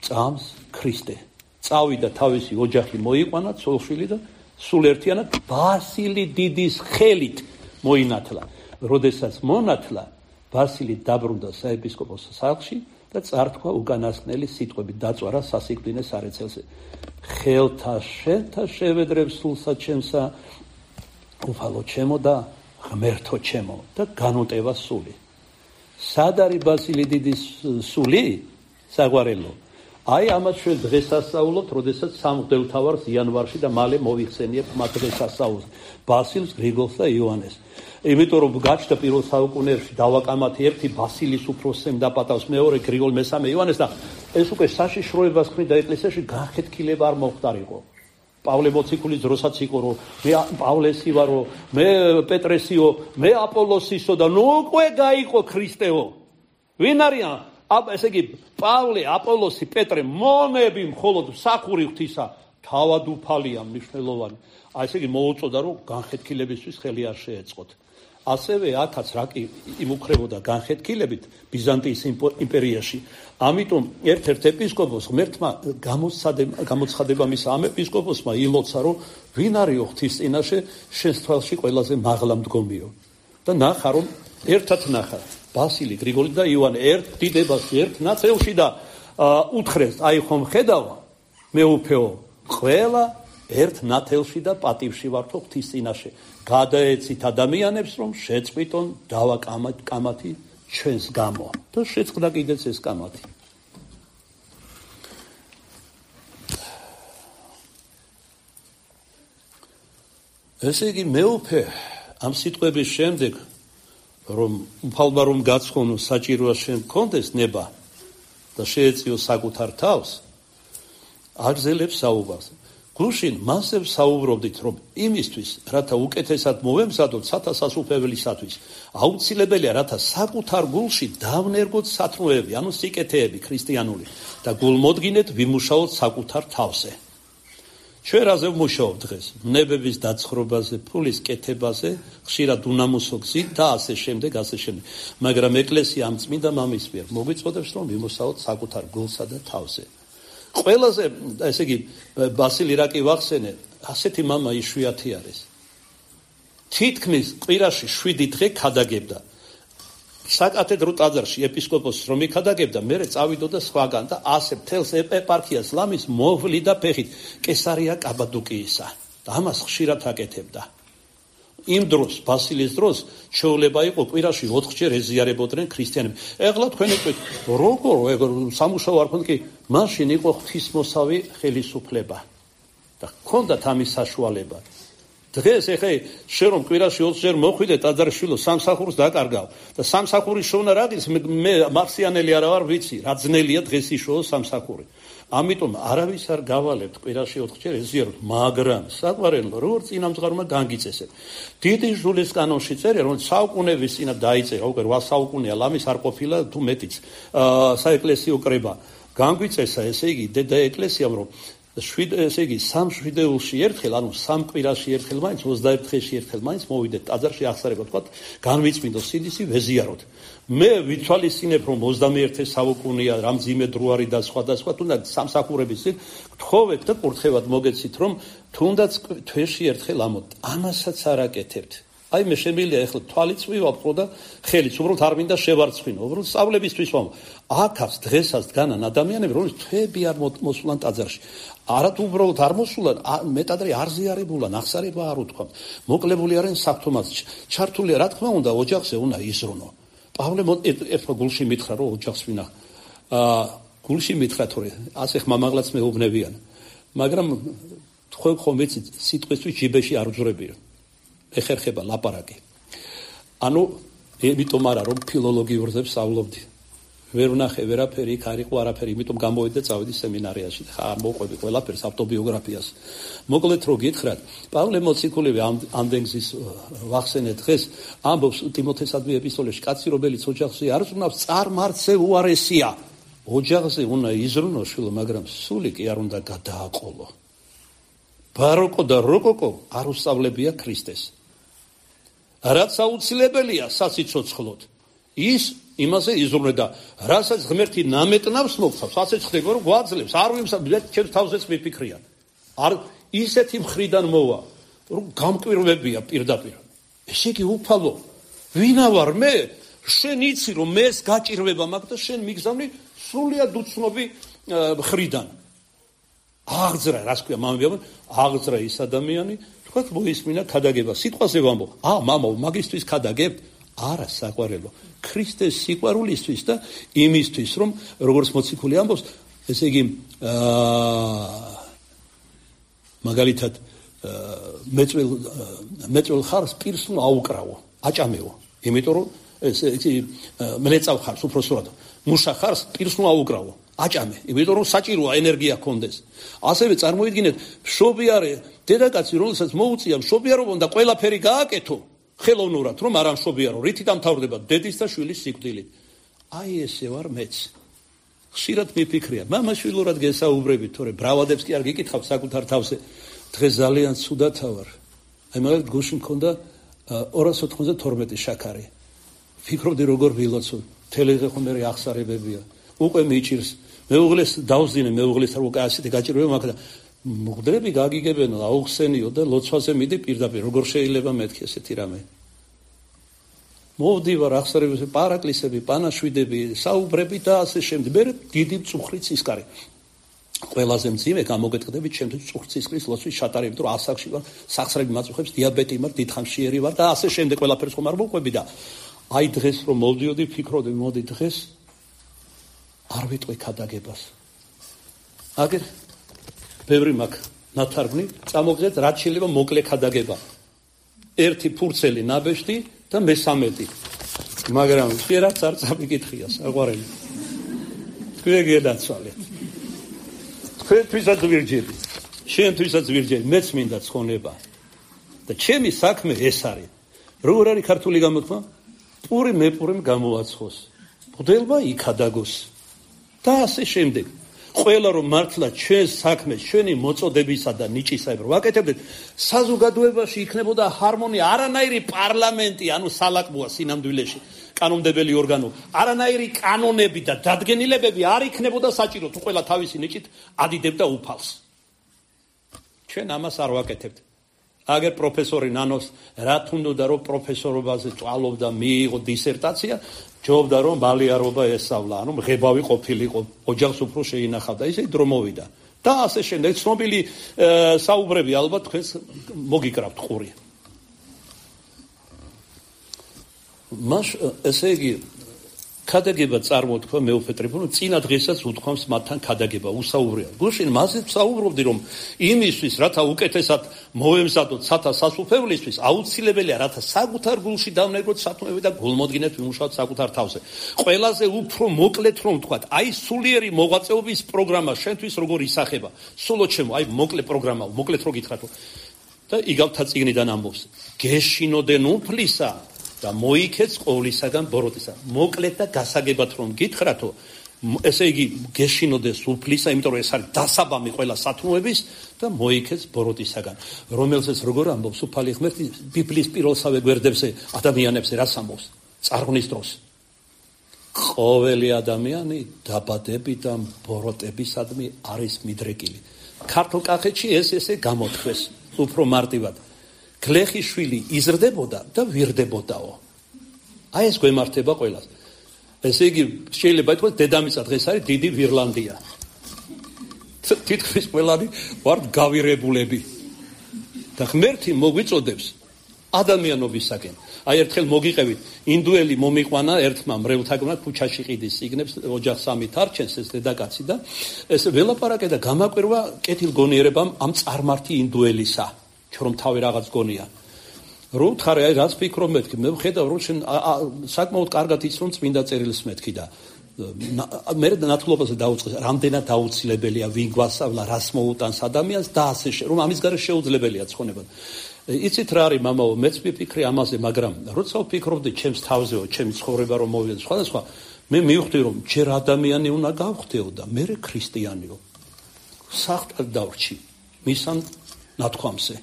წამს ქრისტე. წავიდა თავისი ოჯახი მოიყვანა, ცოლშვილი და სულ ერთიანად ბასილი დიდის ხელით მოინათლა. როდესაც მონათლა, ბასილი დაბრუნდა საეპისკოპოსო სახლში და წართქვა უკანასკნელი სიტყვები, დაწვარა სასიკვდინე სარეცელზე. ხელთა შენთა შევედრებ სულსა ჩემსა, უფალო ჩემო და ღმერთო ჩემო და განუტევა სული. სად არის ბასილი დიდის სული? საგვარელო. აი ამას ჩვენ დღესასწაულობთ, როდესაც სამღვდელმთავარს იანვარში და მალე მოიხსენიებთ მათ დღესასწაულს. ბასილს, გრიგოლს და იოანეს. იმიტომ რომ გაჩნდა პირველ საუკუნეებში დავაკამათი ერთი ბასილის უფროსემ და პატავს მეორე გრიგოლ მესამე იოანეს და ეს უკვე საშიშროებას ქმნიდა ეკლესიაში განხეთქილება არ მოხდარიყო. პავლე მოციქულის დროსაც იყო რომ მე პავლესი ვარო, მე პეტრესიო, მე აპოლოსისო და ნუ უკვე გაიყო ქრისტეო. ვინ არიან? ესე იგი პავლე, აპოლოსი, პეტრე მონები მხოლოდ მსახური ღვთისა თავად უფალია მნიშვნელოვანი. აი ესე იგი მოუწოდა რომ განხეთქილებისთვის ხელი არ შეეწყოთ. ასევე აქაც რა კი იმუქრებოდა განხეთქილებით ბიზანტიის იმპერიაში. ამიტომ ერთ-ერთ ეპისკოპოსს ღმერთმა გამოცხადება მისცა ამ ეპისკოპოსმა ილოცა რომ ვინ არის ღვთის წინაშე შენს თვალში ყველაზე მაღლა მდგომიო. და ნახა რომ ერთად ნახა ბასილი, გრიგოლი და იოანე ერთ დიდებაში, ერთ ნაცელში და უთხრეს, აი ხომ ხედავ მეუფეო, ყველა ერთ ნათელში და პატივში ვართო ღვთის წინაშე. გადაეცით ადამიანებს რომ შეწყვიტონ დავაკამათი ჩვენს გამო და შეწყდა კიდეც ეს კამათი. ესე იგი მეუფე ამ სიტყვების შემდეგ რომ უფალმა რომ გაცხონო საჭიროა შენ გქონდეს ნება და შეეწიო საკუთარ თავს, აგზელებს საუბარს. გუშინ მასე საუბრობდით რომ იმისთვის, რათა უკეთესად მოვემზადოთ სათასასუფეველისათვის, აუცილებელია რათა საკუთარ გულში დავნერგოთ სათნოები, ანუ სიკეთეები ქრისტიანული და გულმოდგინეთ ვიმუშაოთ საკუთარ თავზე. ჩვენ რაზე ვმუშაობთ დღეს? ნებების დაცხრობაზე, ფულის კეთებაზე, ხშირად უნამუსო გზით და ასე შემდეგ, ასე შემდეგ. მაგრამ ეკლესია ამ წმინდა მამის მიერ მოგვიწოდებს რომ ვიმუშაოთ საკუთარ გულსა და თავზე. ყველაზე, ესე იგი, ბასილი რა კი ვახსენე, ასეთი მამა იშვიათი არის. თითქმის კვირაში შვიდი დღე ქადაგებდა. საკათედრო ტაძარში ეპისკოპოსს რომ იქადაგებდა, მერე წავიდოდა სხვაგან და ასე მთელს ეპარქიას ლამის მოვლიდა ფეხით კესარია კაბადოკიისა. და ამას ხშირად აკეთებდა. იმ დროს, ბასილის დროს, ჩვეულება იყო კვირაში ოთხჯერ ეზიარებოდნენ ქრისტიანები. ეხლა თქვენ ეტყვით, როგორ სამუშაო არ ქონდა კი, მაშინ იყო ღვთისმოსავი ხელისუფლება და ჰქონდათ ამის საშუალება. დღეს ეხლა შენ რომ კვირაში ოცჯერ მოხვიდე ტაძარშილო სამსახურს დაკარგავ და სამსახურის შოვნა რა გის მე მარსიანელი არა ვარ ვიცი რა ძნელია დღეს იშოვო სამსახური. ამიტომ არავის არ გავალებთ კვირაში ოთხჯერ ეზიაროთ, მაგრამ საყვარელო როგორ წინამძღარმა განგიწესეთ. დიდი ჟულის კანონში წერია რომ საუკუნეების წინა დაიწერა, უკვე რვა საუკუნეა ლამის არ ყოფილა თუ მეტიც საეკლესიო კრება. განგვიწესა ესე იგი დედა ეკლესიამ რომ შვიდ ესე იგი სამ შვიდეულში ერთხელ, ანუ სამ კვირაში ერთხელ მაინც ოცდაერთ დღეში ერთხელ მაინც მოვიდეთ ტაძარში აღსარებად თქვა, განვიწმინდო სიდისი ვეზიაროთ. მე ვითვალისწინებ რომ ოცდამეერთე საუკუნეა, რამ ძიმე დრო არის და სხვა და სხვა, თუნდაც სამსახურების წინ გთხოვეთ და კურთხევად მოგეცით რომ თუნდაც თვეში ერთხელ ამოთ. ამასაც არ აკეთებთ. აი მე შემიძლია ეხლა თვალიც ვივაპყრო და ხელიც უბრალოდ არ მინდა შევარცხინო, უბრალოდ სწავლებისთვის ვამ. აქაც დღესაც დგანან ადამიანები, რომლებიც თვეები არ მოსულან ტაძარში. არათ უბრალოდ არ მოსულან, მეტადრე არ ზიარებულან, აღსარება არ უთქვამთ. მოკლებული არიან საფრთხომაც. ჩართულია, რა თქმა უნდა, ოჯახზე უნდა იზრუნო. პავლე ერთხელ გულში მითხრა, რომ ოჯახს ვინა. აა გულში მითხრა თორე, ასე ხმამაღლაც მეუბნებიან. მაგრამ თქვენ ხომ ვიცით, სიტყვისთვის ჯიბეში არ უძრებია. ეხერხება ლაპარაკი. ანუ იმიტომ არა რომ ფილოლოგიურზე ვსწავლობდი. ვერ ვნახე ვერაფერი, იქ არ იყო არაფერი, იმიტომ გამოვედი და წავედი სემინარიაში. ხა მოყვები ყველაფერს ავტობიოგრაფიას. მოკლედ რო გითხრათ, პავლე მოციქულები ამდენგზის ვახსენეთ დღეს ამბობს ტიმოთესადმი ეპისტოლეში, კაცი რომელიც ოჯახზე არ ზრუნავს, წარმართზე უარესია. ოჯახზე უნდა იზრუნოს შვილო, მაგრამ სული კი არ უნდა გადააყოლო. ბაროკო და როკოკო არ უსწავლებია ქრისტეს. რაც აუცილებელია სასიცოცხლოდ, ის იმაზე იზრუნე და რასაც ღმერთი ნამეტნავს მოგცავს, ასე ხდება რომ გვაძლევს, არ ვიმსა ჩემს თავზეც მიფიქრია. არ ისეთი მხრიდან მოვა, რომ გამკვირვებია პირდაპირ. ესე იგი უფალო, ვინა ვარ მე? შენ იცი რომ მეც გაჭირვება მაქვს და შენ მიგზავნი სრულიად უცნობი მხრიდან. აღძრა, რას ქვია, მამებია, აღძრა ის ადამიანი, თქვათ მოისმინა ქადაგება. სიტყვაზე ვამბობ, ა მამაო, მაგისთვის ქადაგებთ? არა, საყვარელო. ქრისტეს სიყვარულისთვის და იმისთვის, რომ როგორც მოციქული ამბობს, ესე იგი მაგალითად მეწველ მეწველ ხარს პირს ნუ აუკრავო, აჭამეო. იმიტომ რომ ესე იგი მლეწავ ხარს უпроსურად. მუშა ხარს პირს ნუ აუკრავო, აჭამე. იმიტომ რომ საჭიროა ენერგია გქონდეს. ასევე წარმოიდგინეთ, მშობიარე დედაკაცი, რომელსაც მოუწია მშობიარობა და ყველაფერი გააკეთო ხელოვნურად, რომ არ ამშობიარო, რითი დამთავრდება დედის და შვილის სიკვდილით. აი ესე ვარ მეც. ხშირად მიფიქრია, მამაშვილურად გესაუბრებით, თორე ბრავადებს კი არ გიკითხავ საკუთარ თავზე. დღეს ძალიან ცუდათა ვარ. აი მაგალითად გუშინ მქონდა ორას ოთხმოცდათორმეტი შაქარი. ფიქრობდი როგორ ვილოცო, თელეზე ხომ მე ახსარებებია. უკვე მიჭირს. მეუღლეს დავზინე, მეუღლეს არ უკვე ასეთი გაჭირვება მაქვს და მღვდლები გაგიგებენო, აუხსენიო და ლოცვაზე მიდი პირდაპირ. როგორ შეიძლება მეთქი ესეთი რამე? მოვდივარ ახსარებებზე, პარაკლისები, პანაშვიდები, საუბრები და ასე შემდეგ. მე დიდი მწუხრი ცისკარი. ყველაზე მძიმე გამოგეთყდებით ჩემთვის მწუხრი ცისკრის ლოცვის ჩატარებით, იმიტომ რომ ასაკში ვარ, სახსრები მაწუხებს, დიაბეტი მაქვს, დიდხანშიერი ვარ და ასე შემდეგ ყველაფერს ხომ არ მოვყვები და აი დღეს რომ მოვდიოდი, ფიქრობდი, მოდი დღეს არ ვიტყვი ქადაგებას. აგერ ბევრი მაქვს ნათარგმნი, წამოგზეთ რაც შეიძლება მოკლე ქადაგება. ერთი ფურცელი ნაბეჭდი და მესამედი. მაგრამ შეიძლება არ წამიკითხია, საყვარელი. თქვენ გენაცვალეთ. თქვენთვისაც ვირჯები. შენთვისაც ვირჯები, მეც მინდა ცხონება. და ჩემი საქმე ეს არის. როგორ არის ქართული გამოთქმა? პური მეპურემ გამოაცხოს. მღვდელმა იქადაგოს. და ასე შემდეგ. ყველა რომ მართლა ჩვენს საქმეს, ჩვენი მოწოდებისა და ნიჭისაებრ ვაკეთებდეთ, საზოგადოებაში იქნებოდა ჰარმონია, არანაირი პარლამენტი, ანუ სალაყბოა სინამდვილეში, კანონმდებელი ორგანო, არანაირი კანონები და დადგენილებები არ იქნებოდა საჭირო, თუ ყველა თავისი ნიჭით ადიდებდა უფალს. ჩვენ ამას არ ვაკეთებთ. აგერ პროფესორი ნანოს რა თუნდოდა რომ პროფესორობაზე წვალობდა, მიიღო დისერტაცია, ჯობდა რომ ბალიარობა ესწავლა, ანუ მღებავი ყოფილიყო, ოჯახს უფრო შეინახავდა, ისე დრო მოვიდა. და ასე შემდეგ ცნობილი საუბრები ალბათ თქვენს მოგიკრავთ ყური. მას ესე იგი ქადაგება წარმოთქვა მეუფეტრებო, წინა დღესაც უთქვამს მათთან ქადაგება, უსაუბრია. გუშინ მასე საუბრობდი რომ იმისთვის, რათა უკეთესად მოემზადოთ სათა სასუფევლისთვის, აუცილებელია რათა საკუთარ გულში დავნეგროთ სათნოები და გულმოდგინეთ ვიმუშაოთ საკუთარ თავზე. ყველაზე უფრო მოკლედ რომ ვთქვათ, აი სულიერი მოღვაწეობის პროგრამა შენთვის როგორ ისახება. სულო ჩემო, აი მოკლე პროგრამა, მოკლედ რო გითხრათო. და იგავთა წიგნიდან ამბობს, გეშინოდენ უფლისა და მოიქეც ყოვლისაგან ბოროტისა. მოკლედ და გასაგებად რომ გითხრათო, ესე იგი გეშინოდეს უფლისა, იმიტომ რომ ეს არის დასაბამი ყველა სათნოების და მოიქეც ბოროტისაგან. რომელზეც როგორ ამბობს უფალი ღმერთი ბიბლიის პირველსავე გვერდებზე ადამიანებზე რას ამბობს? წარღვნის დროს. ყოველი ადამიანი დაბადებით და ბოროტებისადმი არის მიდრეკილი. ქართულ კახეთში ეს ესე გამოთქვეს უფრო მარტივად. გლეხის შვილი იზრდებოდა და ვირდებოდაო. აი ეს გვემართება ყველას. ესე იგი შეიძლება ითქვას დედამიწა დღეს არის დიდი ვირლანდია. თითქმის ყველანი ვართ გავირებულები. და ღმერთი მოგვიწოდებს ადამიანობისაკენ. აი ერთხელ მოგიყევით, ინდუელი მომიყვანა ერთმა მრევლთაგმნა ქუჩაში ყიდის იგნებს, ოჯახ სამით არჩენს ეს დედაკაცი და ეს ველაპარაკე და გამაკვირვა კეთილგონიერებამ ამ წარმართი ინდუელისა. რომ თავი რაღაც გონია. რო ვთხარი, აი რაც ფიქრობ მეთქი, მე ვხედავ რომ შენ საკმაოდ კარგად იცნობ წმინდა წერილს მეთქი და მე ნათლობაზე დაუწყეს რამდენად აუცილებელია ვინ გვასწავლა რას მოუტანს ადამიანს და ასე რომ ამის გარშე შეუძლებელია ცხონება. იცით რა არის მამაო, მეც ვიფიქრე ამაზე, მაგრამ როცა ვფიქრობდი ჩემს თავზეო, ჩემი ცხოვრება რომ მოვიდეს სხვადასხვა, მე მივხვდი რომ ჯერ ადამიანი უნდა გავხდეო და მე ქრისტიანიო. საერთოდ დავრჩი მისან ნათქვამზე.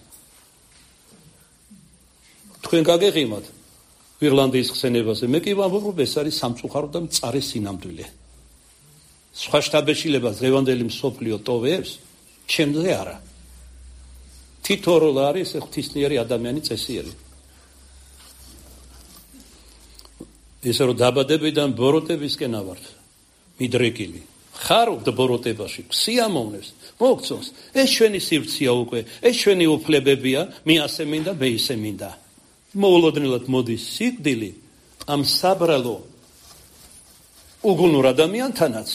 თქვენ გაგეღიმათ ირლანდიის ხსენებაზე, მე კი ვამბობ, ეს არის სამწუხარო და მწარე სინამდვილე. სხვა შტაბეშილებას დღევანდელი მსოფლიო ტოვებს, ჩემზე არა. თითო როლ არის ღვთისმიერი ადამიანი წესიერი. ესე რომ დაბადებიდან ბოროტებისკენ ავართ, მიდრეკილი. ხარობთ ბოროტებაში, სიამოვნებს, მოგწონს. ეს ჩვენი სივრცეა უკვე, ეს ჩვენი უფლებებია, მე ასე მინდა, მე ისე მინდა. მოულოდნელად მოდის სიკვდილი ამ საბრალო უგუნურ ადამიანთანაც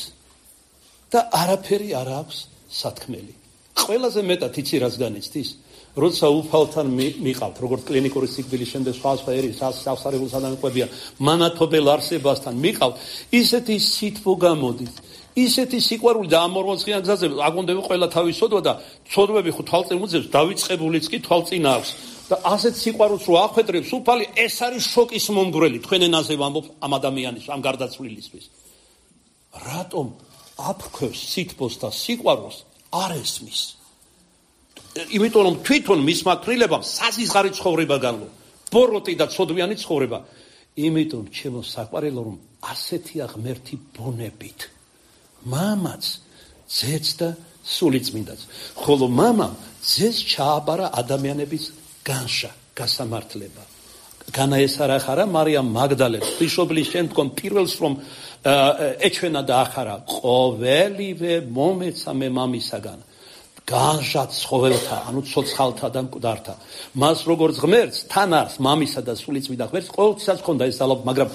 და არაფერი არ აქვს სათქმელი. ყველაზე მეტად იცი რას განიცდის, როცა უფალთან მიყავთ, როგორც კლინიკური სიკვდილის შემდეგ სხვა სხვა ერის სასწავლებლად ადამიანებია, მანათობელ არსებასთან მიყავთ, ისეთი სითბო გამოდის, ისეთი სიყვარული და ამოროცხიან გზაზე აგონდება ყველა თავის სოდვა და სოდვები ხო თვალწინ უძებს, დავიწყებულიც კი თვალწინ აქვს. და ასეთ სიყვარულს რო ახვედრებს უფალი, ეს არის შოკის მომგვრელი, თქვენ ენაზე ვამბობ ამ ადამიანის, ამ გარდაცვლილისთვის. რატომ აფრქვევს სითბოს და სიყვარულს არ ესმის? იმიტომ რომ თვითონ მისმა კრილებამ საზღარი ცხოვრება განლო, ბოროტი და ცოდვიანი ცხოვრება. იმიტომ ჩემო საყვარელო რომ ასეთი აღმერთი ბუნებით. მამაც, ძეც და სულიწმინდაც. ხოლო მამამ ძეს ჩააბარა ადამიანების განშა, გასამართლება. განაესარა ხარა მარიამ მაგდალენს, ღვთისმშობლის შემდგომ პირველს რომ ეჩვენა და ახარა, ყოველივე მომეცა მე მამისაგან. განშა ცხოველთა, ანუ ცოცხალთა და მკვდართა. მას როგორც ღმერთს, თან არის მამისა და სულიწმიდა ღმერთს, ყოველთვის ჰქონდა ეს ძალა, მაგრამ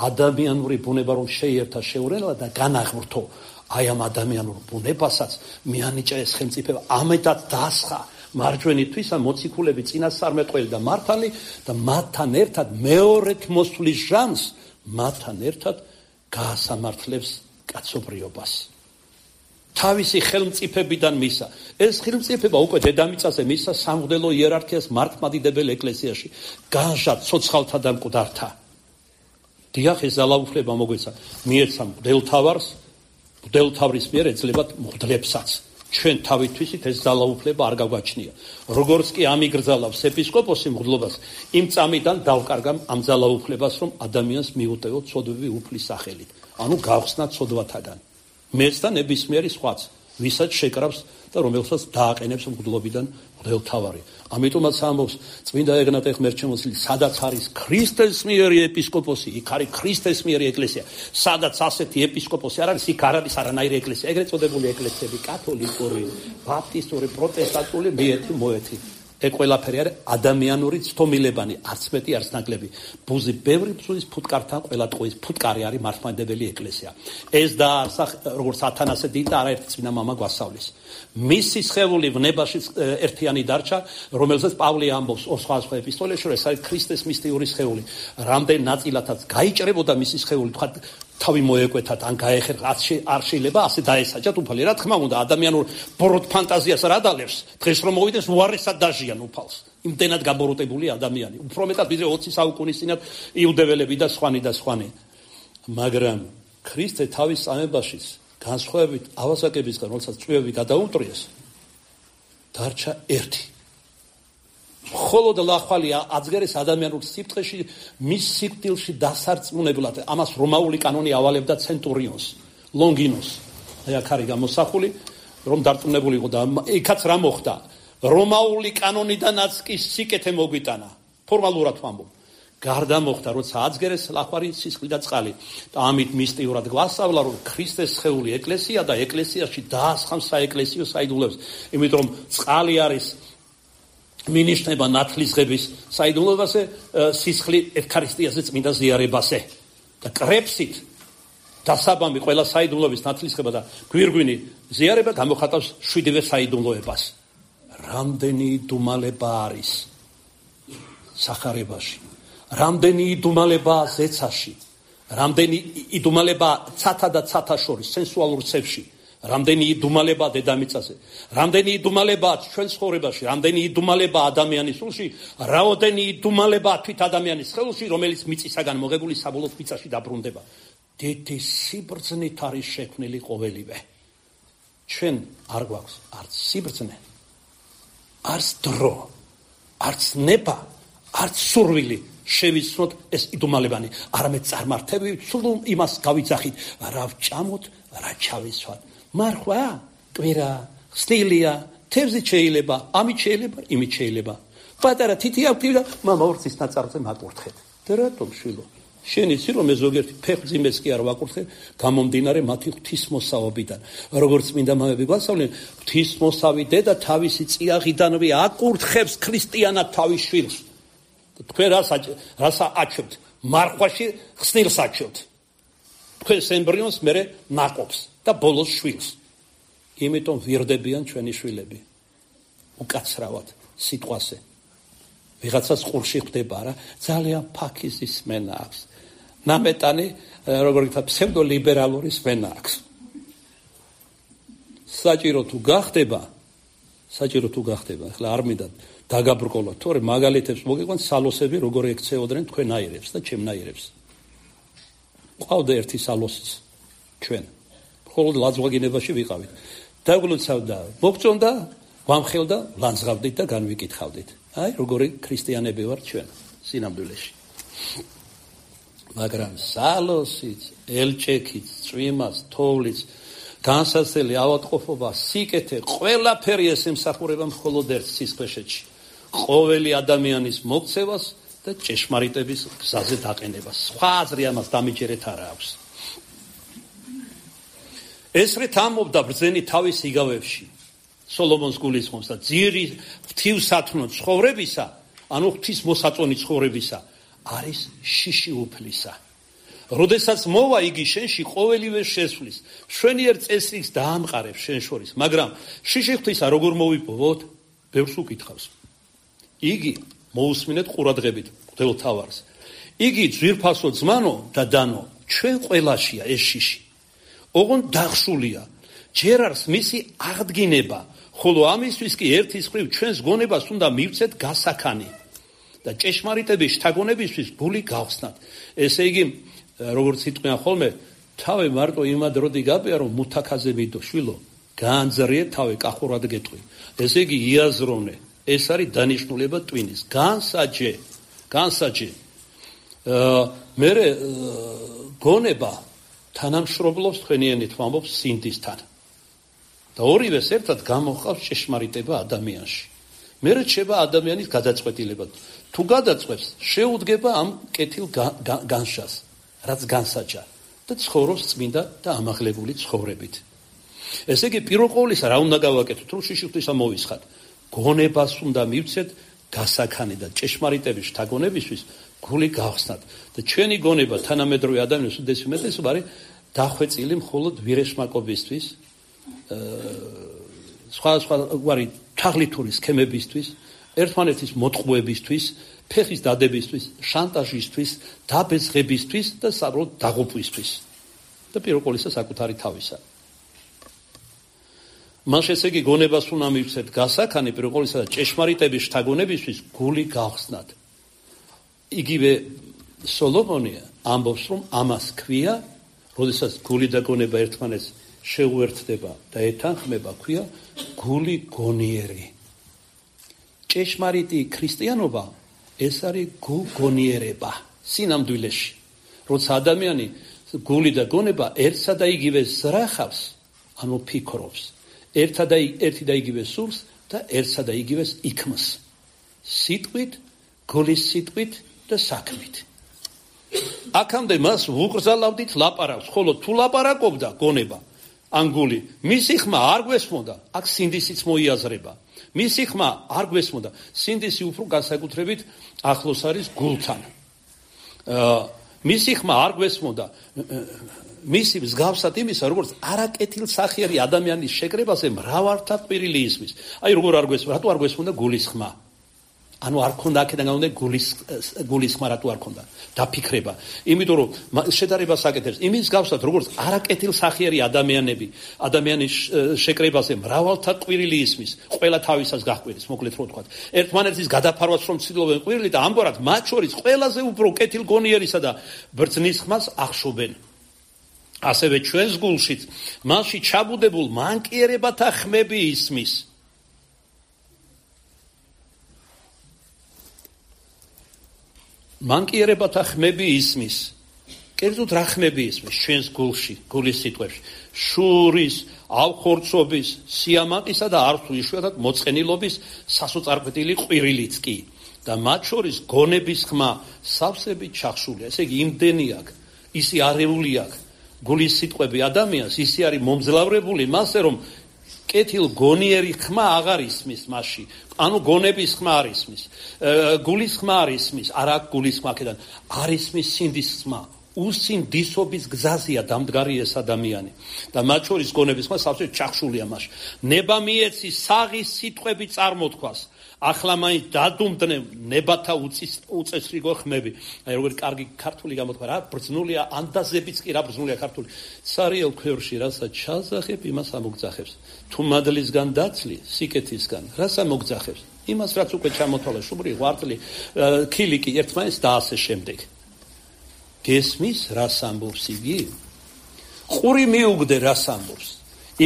ადამიანური ბუნება რომ შეიერთა შეურელა და განაღმრთო. აი ამ ადამიანურ ბუნებასაც მიანიჭა ეს ხელმწიფება, ამეთად დასხა მარჯვენითვისა მოციქულები წინასწარმეტყველი და მართალი და მათთან ერთად მეორეთ მოსვლის ჟამს მათთან ერთად გაასამართლებს კაცობრიობას. თავისი ხელმწიფებიდან მისა. ეს ხელმწიფება უკვე დედამიწაზე მისა სამღვდელო იერარქიას მართლმადიდებელ ეკლესიაში. განჟა ცოცხალთა და მკვდართა. დიახ, ეს ძალაუფლება მოგვეცა. მიეცა მღვდელთავარს, მღვდელთავრის მიერ ეძლებათ მღვდლებსაც. ჩვენ თავითვისით ეს ძალაუფლება არ გაგვაჩნია. როგორც კი ამიგრძალავს ეპისკოპოსი მღვდლობას, იმ წამიდან დავკარგამ ამ ძალაუფლებას, რომ ადამიანს მიუტევო ცოდვები უფლის სახელით. ანუ გავხსნა ცოდვათაგან. მეც და ნებისმიერი სხვაც, ვისაც შეკრავს და რომელსაც დააყენებს მღვდლობიდან მღვდელთავარი. ამიტომაც ამბობს წმინდა ეგნატე ღმერთჩემოსილი, სადაც არის ქრისტეს მიერი ეპისკოპოსი, იქ არის ქრისტეს მიერი ეკლესია. სადაც ასეთი ეპისკოპოსი არ არის, იქ არ არის არანაირი ეკლესია. ეგრეთ წოდებული ეკლესიები, კათოლიკური, ბაპტისტური, პროტესტანტული, მიეთი, მოეთი. ეგ ყველაფერი არის ადამიანური ცდომილებანი, არც მეტი, არც ნაკლები. ბუზი ბევრი ბზუის ფუტკართან ყველა ტყუის ფუტკარი არის მართლმადიდებელი ეკლესია. ეს დაარსა როგორც ათანასე დიდი და არაერთი წმინდა მამა გვასწავლის. მისი სხეული ვნებაში ერთიანი დარჩა, რომელსაც პავლე ამბობს ორ სხვა სხვა ეპისტოლეში, რომ ეს არის ქრისტეს მისტიური სხეული. რამდენ ნაწილათაც გაიჭრებოდა მისი სხეული, თქვა თავი მოეკვეთათ, ან გაეხერხა, არ შეიძლება ასე დაესაჯათ უფალი. რა თქმა უნდა, ადამიანურ ბოროტ ფანტაზიას რა დალევს, დღეს რომ მოვიდეს უარესად დაჟიან უფალს. იმდენად გაბოროტებული ადამიანი. უფრო მეტად ვიდრე ოცი საუკუნის წინათ იუდეველები და სხვანი და სხვანი. მაგრამ ქრისტე თავის წამებაშიც განსხვავებით ავასაკებისგან, როდესაც წვევები გადაუმტრიეს, დარჩა ერთი. მხოლოდ ლახვალი აწგერეს ადამიანურ სიფრთხეში, მის სიკვდილში დასარწმუნებლად. ამას რომაული კანონი ავალებდა ცენტურიონს, ლონგინოს. აი აქ არის გამოსახული, რომ დარწმუნებული იყო და იქაც რა მოხდა. რომაული კანონიდანაც კი სიკეთე მოგვიტანა. ფორმალურად ვამბობ. გარდა მოხდა, როცა აწგერეს ლახვარი სისხლი და წყალი. და ამით მისტიურად გვასწავლა, რომ ქრისტეს სხეული ეკლესია და ეკლესიაში დაასხამს საეკლესიო საიდუმლოებს. იმიტომ რომ წყალი არის მინიშნება ნათლისღების საიდუმლოებაზე, სისხლი ევქარისტიაზე წმინდა ზიარებაზე. და კრებსით დასაბამი ყველა საიდუმლოების ნათლისღება და გვირგვინი ზიარება გამოხატავს შვიდივე საიდუმლოებას. რამდენი იდუმალება არის სახარებაში, რამდენი იდუმალებაა ზეცაში, რამდენი იდუმალება ცათა და ცათა შორის სენსუალურ ცევში, რამდენი იდუმალება დედამიწაზე, რამდენი იდუმალება ჩვენ ცხოვრებაში, რამდენი იდუმალება ადამიანის სულში, რაოდენი იდუმალება თვით ადამიანის ხელში, რომელიც მიწისაგან მოგებული საბოლოოდ მიწაში დაბრუნდება. დიდი სიბრძნით არის შექმნილი ყოველივე. ჩვენ არ გვაქვს არც სიბრძნე, არც დრო, არც ნება, არც სურვილი შევიცნოთ ეს იდუმალებანი, არამედ წარმართები სულ იმას გავიძახით, რა ვჭამოთ, რა ჩავისვათ. მარხვა, კვირა, ხსნილია, თევზით შეიძლება, ამით შეიძლება, იმით შეიძლება. პატარა თითი აქვს და მამა ორცის ნაწარმზე მაკურთხეთ. და რატომ შვილო? შენ იცი რომ ეს ზოგიერთი ფეხმძიმეს კი არ ვაკურთხებ, გამომდინარე მათი ღვთისმოსავობიდან. როგორც მინდა მამები გვასწავლენ, ღვთისმოსავი დედა თავისი წიაღიდანვე აკურთხებს ქრისტიანად თავის შვილს. თქვენ რას რას აჩვენთ? მარხვაში ხსნილს აჩვენთ. თქვენ ემბრიონს მერე ნაკობს და ბოლოს შვილს. იმიტომ ვირდებიან ჩვენი შვილები. უკაცრავად სიტყვაზე. ვიღაცას ყურში ხდება რა, ძალიან ფაქიზის სმენა აქვს. ნამეტანი, როგორ ითქვა, ფსევდოლიბერალური სმენა აქვს. საჭირო თუ გახდება, საჭირო თუ გახდება, ახლა არ მინდა დაგაბრკოლოთ, თორე მაგალითებს მოგიყვანთ სალოსები როგორ ექცეოდნენ თქვენ აირებს და ჩემნაირებს. ყავდა ერთი სალოსიც ჩვენ. მხოლოდ ლაძღვაგინებაში ვიყავით. დაგვლოცავდა, მოგწონდა, ვამხელდა, ლანძღავდით და განვიკითხავდით. აი, როგორი ქრისტიანები ვარ ჩვენ სინამდვილეში. მაგრამ სალოსიც, ელჭექიც, წვიმას, თოვლიც, განსაცდელი ავადმყოფობა, სიკეთე, ყველაფერი ეს ემსახურება მხოლოდ ერთ სისხლშეში. ყოველი ადამიანის მოქცევას და ჭეშმარიტების გზაზე დაყენებას. სხვა აზრი ამას დამიჯერეთ არა აქვს. ესრეთ ამობდა ბრძენი თავის იგავებში. სოლომონს გულისხმობს და ძირი ღვთივსათნო ცხოვრებისა, ანუ ღვთისმოსაწონი ცხოვრებისა, არის შიში უფლისა. როდესაც მოვა იგი შენში, ყოველივე შესვლის, მშვენიერ წესრიგს დაამყარებს შენ შორის, მაგრამ შიში ღვთისა როგორ მოვიპოვოთ? ბევრს უკითხავს. იგი მოусმინეთ ყურადღებით მღვდელთავარს. იგი ძვირფასო ძმანო და დანო, ჩვენ ყველაშია ეს შიში. ოღონ დახშულია, ჯერ არის მისი აღდგინება, ხოლო ამისთვის კი ერთის მხრივ ჩვენს გონებას უნდა მივცეთ გასაქანი და ჭეშმარიტების შთაგონებისთვის გული გავხსნათ. ესე იგი, როგორც იტყვიან ხოლმე, თავი მარტო იმად როდი გაბია, რომ მუთაქაზე მიდო, შვილო, გაანძრიე თავი, კახურად გეტყვი. ესე იგი, იაზროვნე. ეს არის დანიშნულება ტვინის. განსაჯე, განსაჯე. მე გონება თანამშრომლობს თქვენიანით ვამბობს სინდისთან. და ორივეს ერთად გამოჰყავს ჭეშმარიტება ადამიანში. მე რჩება ადამიანის გადაწყვეტილება. თუ გადაწყვეტს, შეუდგება ამ კეთილ განშას, რაც განსაჯა და ცხოვრობს წმინდა და ამაღლებული ცხოვრებით. ესე იგი, პირველ ყოვლისა რა უნდა გავაკეთოთ, რომ შიში ღვთისა მოვისხათ? გონებას უნდა მივცეთ გასაქანი და ჭეშმარიტების შთაგონებისთვის გული გავხსნათ. და ჩვენი გონება თანამედროვე ადამიანის უდიდესი უმეტესობა არის დახვეწილი მხოლოდ ვირეშმაკობისთვის, სხვა სხვა გვარი თაღლითური სქემებისთვის, ერთმანეთის მოტყუებისთვის, ფეხის დადებისთვის, შანტაჟისთვის, დაბეძღებისთვის და საბოლოოდ დაღუპვისთვის. და პირველ ყოვლისა საკუთარი თავისა. მან ესე იგი გონებას უნდა მივცეთ გასაქანი პირველ ყოვლისა და ჭეშმარიტების შთაგონებისთვის გული გავხსნათ. იგივე სოლომონი ამბობს, რომ ამას ქვია, როდესაც გული და გონება ერთმანეთს შეუერთდება და ეთანხმება, ქვია გული გონიერი. ჭეშმარიტი ქრისტიანობა ეს არის გულგონიერება სინამდვილეში. როცა ადამიანი გული და გონება ერთსა და იგივე ზრახავს, ანუ ფიქრობს, ერთსა და ერთი და იგივე სურს და ერთსა და იგივეს იქმს. სიტყვით, გულის სიტყვით და საქმით. აქამდე მას ვუგრძალავდით ლაპარაკს, ხოლო თუ ლაპარაკობდა გონება, ან გული, მისი ხმა არ გვესმოდა, აქ სინდისიც მოიაზრება. მისი ხმა არ გვესმოდა, სინდისი უფრო განსაკუთრებით ახლოს არის გულთან. მისი ხმა არ გვესმოდა, მისი მსგავსად იმისა, როგორც არაკეთილ სახიერი ადამიანის შეკრებაზე მრავალთა ყვირილი ისმის. აი როგორ არ გვესმოდა, რატო არ გვესმოდა გულის ხმა? ანუ არ ქონდა აქედან გამომდინარე გულის გულის ხმარა თუ არ ქონდა დაფიქრება იმიტომ რომ შედარებას აკეთებს იმის გავსად როგორც არაკეთილსახიერი ადამიანები ადამიანის შეკრებაზე მრავალთა ყვირილი ისმის ყველა თავისას გაჰყვირის მოკლედ რო ვთქვათ ერთმანეთის გადაფარვას რომ ცდილობენ ყვირილი და ამგვარად მათ შორის ყველაზე უფრო კეთილგონიერისა და ბრძნის ხმას ახშობენ ასევე ჩვენს გულშიც მასში ჩაბუდებულ მანკიერებათა ხმები ისმის მანკიერებათა ხმები ისმის კერძოდ რა ხმები ისმის ჩვენს გულში გულის სიტყვებში შურის ავხორცობის სიამაყისა და არც იშვიათად მოწყენილობის სასოწარკვეთილი ყვირილიც კი და მათ შორის გონების ხმა სავსებით ჩახშულია ესე იგი იმდენი აქვს ისი არეული აქვს გულის სიტყვები ადამიანს ისი არის მომძლავრებული მასე რომ კეთილ გონიერი ხმა აღარ ისმის მასში ანუ გონების ხმა არ ისმის გულის ხმა არ ისმის არა გულის ხმა აქედან არ ისმის სინდის ხმა უსინდისობის გზაზეა დამდგარი ეს ადამიანი და მათ შორის გონების ხმა სავსე ჩახშულია მასში ნება მიეცი საღის სიტყვები წარმოთქვას ახლა მაინც დადუმდნენ ნებათა უწესრიგო ხმები აი როგორი კარგი ქართული გამოთქვა რა ბრძნულია ანდაზებიც კი რა ბრძნულია ქართული цаრიელ ქვევრში რასაც ჩაზახებ იმას ამოგძახებს თუ მადლისგან დაცლი სიკეთისგან რას ამოგძახებს იმას რაც უკვე ჩამოთვალა შუბრი ღვაწლი ქილიკი ერთმანეთს და ასე შემდეგ გესმის რას ამბობს იგი ყური მიუგდე რას ამბობს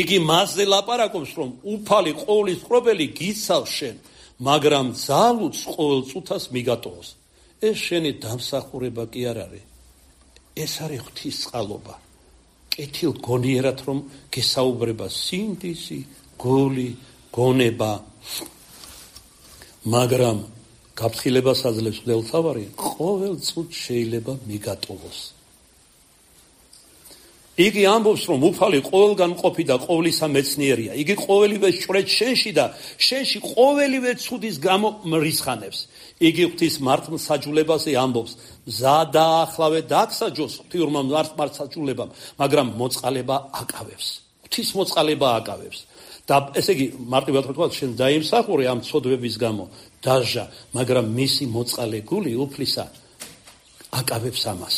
იგი მასზე ლაპარაკობს რომ უფალი ყოვლის ყრობელი გიცავს შენ მაგრამ ძალუც ყოველ წუთას მიგატოვოს ეს შენი დამსახურება კი არ არის ეს არის ღვთისწყალობა კეთილ გონიერად რომ გესაუბრება სინდისი გული გონება მაგრამ გაფრთხილებას აძლევს მღვდელმთავარი ყოველ წუთს შეიძლება მიგატოვოს იგი ამბობს რომ უფალი ყოველგან მყოფი და ყოვლისა მეცნიერია იგი ყოველივე ჭვრეტ შენში და შენში ყოველივე ცუდის გამო მრისხანებს იგი ღვთის მართლმსაჯულებაზე ამბობს მზა დაახლავე დაგსაჯოს ღვთიურმა მართლმსაჯულებამ მაგრამ მოწყალება აკავებს ღვთის მოწყალება აკავებს და ესე იგი მარტივად ვთქვათ შენ დაიმსახურე ამ ცოდვების გამო დაჟა მაგრამ მისი მოწყალე გული უფლისა აკავებს ამას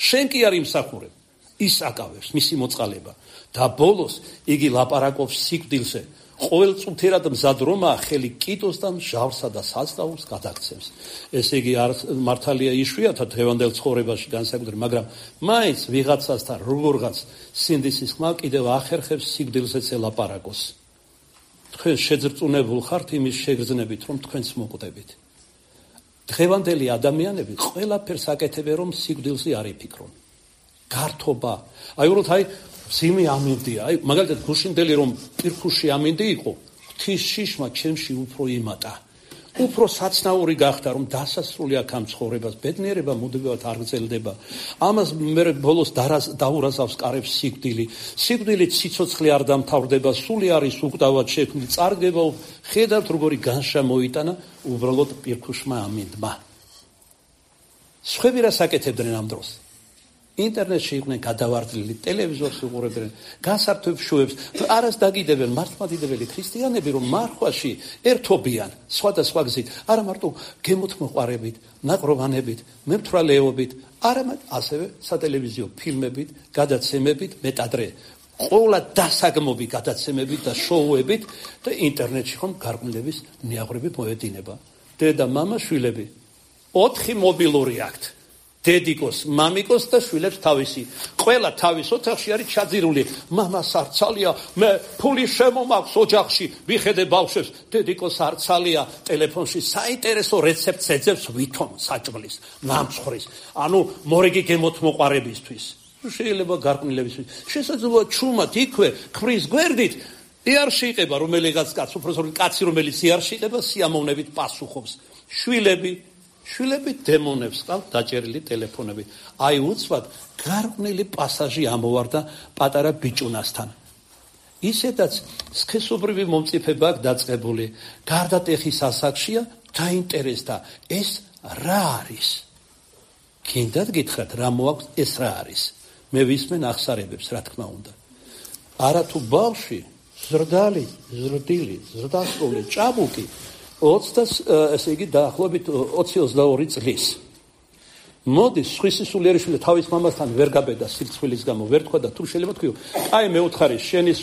შენ კი არ იმსახურებ ის აკავებს მისი მოწყალება და ბოლოს იგი ლაპარაკობს სიკვდილზე ყოველ წუთერად მზად რომაა ხელი კიდოს და მჟავსა და საზღაურს გადაგცემს ესე იგი არ მართალია იშვიათად დღევანდელ ცხოვრებაში განსაკუთრებით მაგრამ მაინც ვიღაცასთან როგორღაც სინდისის ხმა კიდევ ახერხებს სიკვდილზეც ელაპარაკოს თქვენ შეძრწუნებულ ხართ იმის შეგრძნებით რომ თქვენც მოკვდებით დღევანდელი ადამიანები ყველაფერს აკეთებენ რომ სიკვდილზე არ იფიქრონ გართობა აი უბრალოდ აი ძიმი ამინდია აი მაგალითად გუშინდელი რომ პირქუში ამინდი იყო ღვთის შიშმა ჩემში უფრო იმატა უფრო საცნაური გახდა რომ დასასრული აქ ამ ცხოვრებას ბედნიერება მოდებათ არ გრძელდება ამას მე ბოლოს დაურაზავს კარებს სიკვდილი სიკვდილი ციცოცხლე არ დამთავრდება სული არის უკვდავად შექმნილი წარგება ხედავთ როგორი განშა მოიტანა უბრალოდ პირქუშმა ამინდმა სხვები რას აკეთებდნენ ამ დროს ინტერნეტში იყვნენ გადავარდნილი ტელევიზორს უყურებდნენ გასართობს შუებს არას დაგიდებენ მართლმადიდებელი ქრისტიანები რომ მარხვაში ერთობიან სხვადასხვა გზით არა მარტო გემოთმოყვარებით ნაყროვანებით მემთვრალეობით არამედ ასევე სატელევიზიო ფილმებით გადაცემებით მეტადრე ყოლა დასაგმობი გადაცემებით და შოუებით და ინტერნეტში ხომ გარყვნილების ნიაღვრები მოედინება დედა მამა შვილები ოთხი მობილური აქვთ დედიკოს, მამიკოს და შვილებს თავისი. ყველა თავის ოთახში არის ჩაძირული. მამას არცალია, მე ფული შემომაქვს ოჯახში, ვიხედე ბავშვებს, დედიკოს არცალია, ტელეფონში საინტერესო რეცეპტს ეძებს ვითომ საჭმლის, ნამცხვრის, ანუ მორიგი გემოთმოყვარებისთვის. შეიძლება გარყვნილებისთვის. შესაძლოა ჩუმად იქვე ქმრის გვერდით იარში იყება რომელიღაც კაც, უბრალოდ კაცი რომელიც იარში იყება სიამოვნებით პასუხობს. შვილები შვილები დემონებს ყავთ დაჭერილი ტელეფონები. აი უცბად გარყვნილი პასაჟი ამოვარდა პატარა ბიჭუნასთან. ისედაც სქესობრივი მომწიფება აქვს დაწყებული. გარდა ტეხის ასაკშია დაინტერესდა ეს რა არის. კიდევ გითხრათ რა მოაქვს ეს რა არის. მე ვისმენ ახსარებებს რა თქმა უნდა. არა თუ ბავში ზრდალი, ზრდილი, ზრდასრული, ჭაბუკი ოცდას ესე იგი დაახლოებით ოცი ოცდაორი წლის. მოდის სხვისი სულიერიშვილი თავის მამასთან ვერ გაბედა სირცხვილის გამო, ვერ თქვა და თუ შეიძლება თქვიო, აი მე უთხარი შენი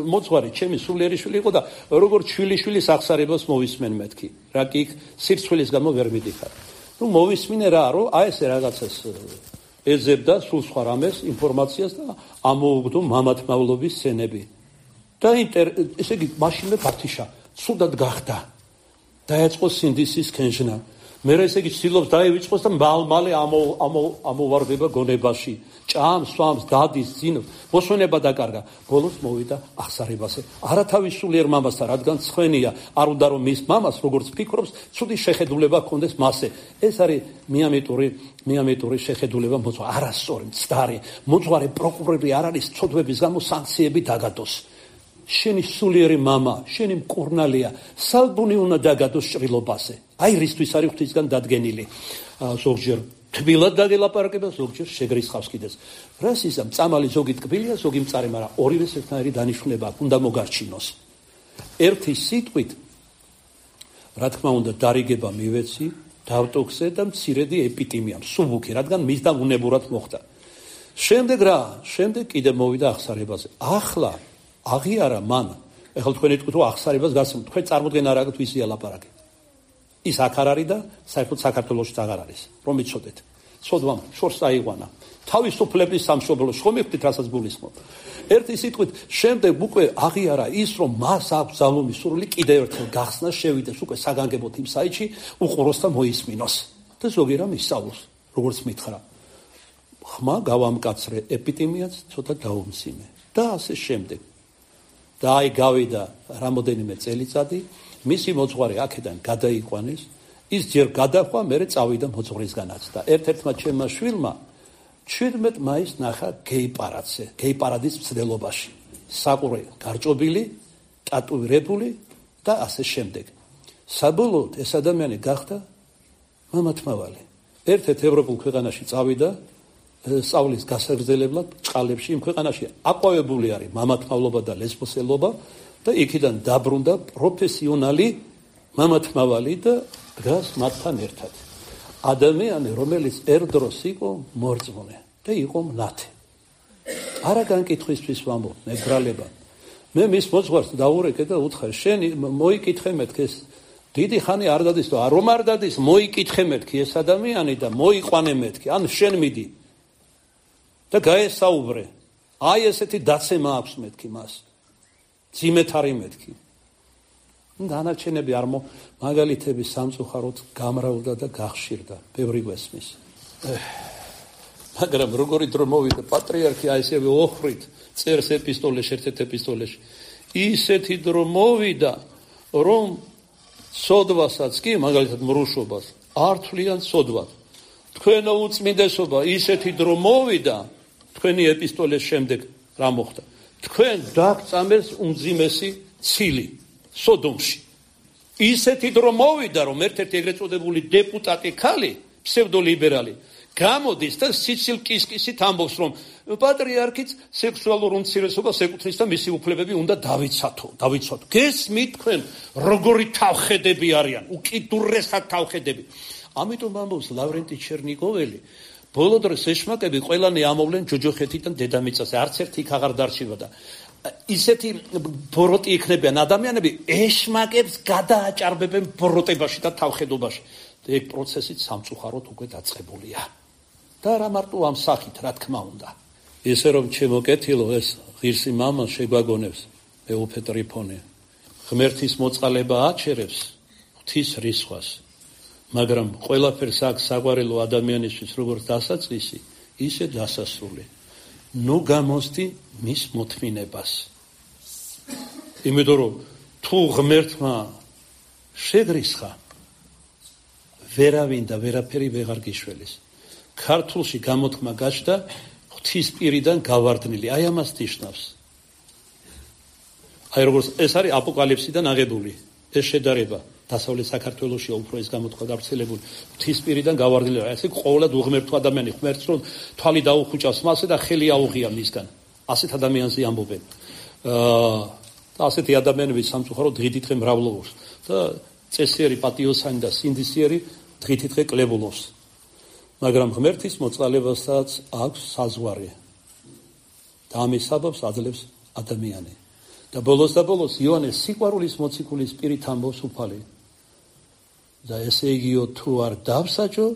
მოძღვარი ჩემი სულიერიშვილი იყო და როგორც შვილიშვილის აღსარებას მოვისმენ მეთქი. რა კი იქ სირცხვილის გამო ვერ მიდიხარ. ნუ მოვისმინე რა, რომ აი ესე რაღაცას ეძებდა სულ სხვა რამეს ინფორმაციას და ამოუგდო მამათმავლობის სცენები. და ესე იგი მაშინვე გათიშა, ცუდად გახდა. დაეწყო სინდისის კენჟნა. მე ესე იგი ცდილობს დაივიწყოს და მალ-მალე ამოვარდება გონებაში. ჭამს, სვამს, დადის, ძინავს, მოსვენება დაკარგა. ბოლოს მოვიდა აღსარებაზე. არა თავის სულიერ მამასთან, რადგან ცხენია, არ უნდა რომ მის მამას, როგორც ფიქრობს, ცუდი შეხედულება ჰქონდეს მასზე. ეს არის მიამეტური, მიამეტური შეხედულება მოძღვარი, არასწორი, მცდარი. მოძღვარი პროკურორი არ არის ცოდვების გამო სანქციები დაგადოს. შენი სულიერი მამა, შენი მკურნალია, სალბუნი უნდა დაგადოს ჭრილობაზე. აი რისთვის არის ღვთისგან დადგენილი. ზოგჯერ თბილად დაგელაპარაკება, ზოგჯერ შეგრისხავს კიდეც. რას ისა მწამალი ზოგი ტკბილია, ზოგი მწარე, მაგრამ ორივეს ერთნაირი დანიშნულება აქვს, უნდა მოგარჩინოს. ერთი სიტყვით, რა თქმა უნდა, დარიგება მივეცი, დავტოქზე და მცირედი ეპიტიმია, მსუბუქი, რადგან მისდამ უნებურად მოხდა. შემდეგ რა? შემდეგ კიდე მოვიდა აღსარებაზე. ახლა აღიარა მან, ეხლა თქვენ იტყვით რომ აღსარებას გასცემთ, თქვენ წარმოდგენა რა გაქვთ ვიზია ლაპარაკი. ის აქ არ არის და საერთოდ საქართველოში აღარ არის. რომ იცოდეთ. ცოდვამ შორს აიყვანა. თავისუფლების სამშობლოში ხომ იხდით რასაც გულისხმობ. ერთი სიტყვით, შემდეგ უკვე აღიარა ის რომ მას აქვს ძალუმი სურვილი კიდევ ერთხელ გახსნა, შევიდეს უკვე საგანგებოდ იმ საიტში, უყუროს და მოისმინოს. და ზოგი რამ ისწავლოს, როგორც მითხრა. ხმა გავამკაცრე, ეპიდემიაც ცოტა დაუმსიმე. და ასე შემდეგ. და აი გავიდა რამოდენიმე წელიწადი, მისი მოძღვარი აქედან გადაიყვანეს, ის ჯერ გადახვა, მერე წავიდა მოძღვრისგანაც და ერთ-ერთმა ჩემმა შვილმა ჩვიდმეტ მაისს ნახა გეი პარადზე, გეი პარადის მცდელობაში. საყურე გარჭობილი, ტატუირებული და ასე შემდეგ. საბოლოოდ ეს ადამიანი გახდა მამათმავალი. ერთ-ერთ ევროპულ ქვეყანაში წავიდა სწავლის გასაგრძელებლად ჭყალებში, იმ ქვეყანაში აყვავებული არის მამათმავლობა და ლესბოსელობა და იქიდან დაბრუნდა პროფესიონალი მამათმავალი და დგას მათთან ერთად. ადამიანი, რომელიც ერდროს იყო მორწმუნე და იყო მნათე. არა განკითხვისთვის ვამბობ, მეგრალება. მე მის მოძღვარს დაურეკე და უთხრა, შენ მოიკითხე მეთქი ეს დიდი ხანი არ დადის და რომ არ დადის, მოიკითხე მეთქი ეს ადამიანი და მოიყვანე მეთქი, ან შენ მიდი. და გაესაუბრე. აი ესეთი დაცემა აქვს მეთქი მას. ძიმეთ არის მეთქი. დანარჩენები არ მო მაგალითები სამწუხაროდ გამრავლდა და გახშირდა. ბევრი გვესმის. მაგრამ როგორი დრო მოვიდა პატრიარქი აი ესე ოხრით წერს ეპისტოლეში, ერთ-ერთ ეპისტოლეში. ისეთი დრო მოვიდა, რომ სოდვასაც კი, მაგალითად მრუშობას, არ თვლიან სოდვად. თქვენო უწმინდესობა ისეთი დრო მოვიდა, თქვენი ეპისტოლეს შემდეგ რა მოხდა? თქვენ დაგწამეს უმძიმესი ცილი სოდომში. ისეთი დრო მოვიდა, რომ ერთ-ერთი ეგრეთ წოდებული დეპუტატი ქალი, ფსევდოლიბერალი, გამოდის და სიცილ-კისკისით ამბობს, რომ პატრიარქიც სექსუალურ უმცირესობას ეკუთვნის და მისი უფლებები უნდა დავიცათო, დავიცვათო. გესმით თქვენ, როგორი თავხედები არიან, უკიდურესად თავხედები. ამიტომ ამბობს ლავრენტი ჩერნიგოველი, ბოლო დროს ეშმაკები ყველანი ამოვლენ ჯოჯოხეთიდან დედამიწაზე, არც ერთი იქ აღარ დარჩება და ისეთი ბოროტი იქნებიან ადამიანები, ეშმაკებს გადააჭარბებენ ბოროტებაში და თავხედობაში. და ეგ პროცესიც სამწუხაროდ უკვე დაწყებულია. და რა მარტო ამ სახით, რა თქმა უნდა. ესე რომ ჩემო კეთილო, ეს ღირსი მამა შეგვაგონებს, მეუფე ტრიფონე. ღმერთის მოწყალება აჩერებს ღვთის რისხვას. მაგრამ ყველაფერს აქვს საყვარელო ადამიანისთვის როგორც დასაწყისი, ისე დასასრული. ნუ გამოსდი მის მოთმინებას. იმიტომ რომ თუ ღმერთმა შეგრისხა, ვერავინ და ვერაფერი ვეღარ გიშველის. ქართულში გამოთქმა გაჩნდა ღვთის პირიდან გავარდნილი. აი ამას ნიშნავს. აი როგორც ეს არის აპოკალიფსიდან აღებული ეს შედარება. დასავლეთ საქართველოში უფრო ეს გამოთქვა გავრცელებული ღვთისპირიდან გავარდნილი. ესე ყოველად უღმერთო ადამიანი ღმერთს რომ თვალი დაუხუჭავს მასზე და ხელი აუღია მისგან. ასეთ ადამიანზე ამბობენ. აა და ასეთი ადამიანები სამწუხაროდ დღიდიდღე მრავლობს და წესიერი პატიოსანი და სინდისიერი დღითიდღე კლებულობს. მაგრამ ღმერთის მოწყალებასაც აქვს საზღვარი. და ამის საბაბს აძლევს ადამიანი. და ბოლოს და ბოლოს იოანეს სიყვარულის მოციქულის პირით ამბობს უფალი. და ესე იგიო თუ არ დავსაჯო,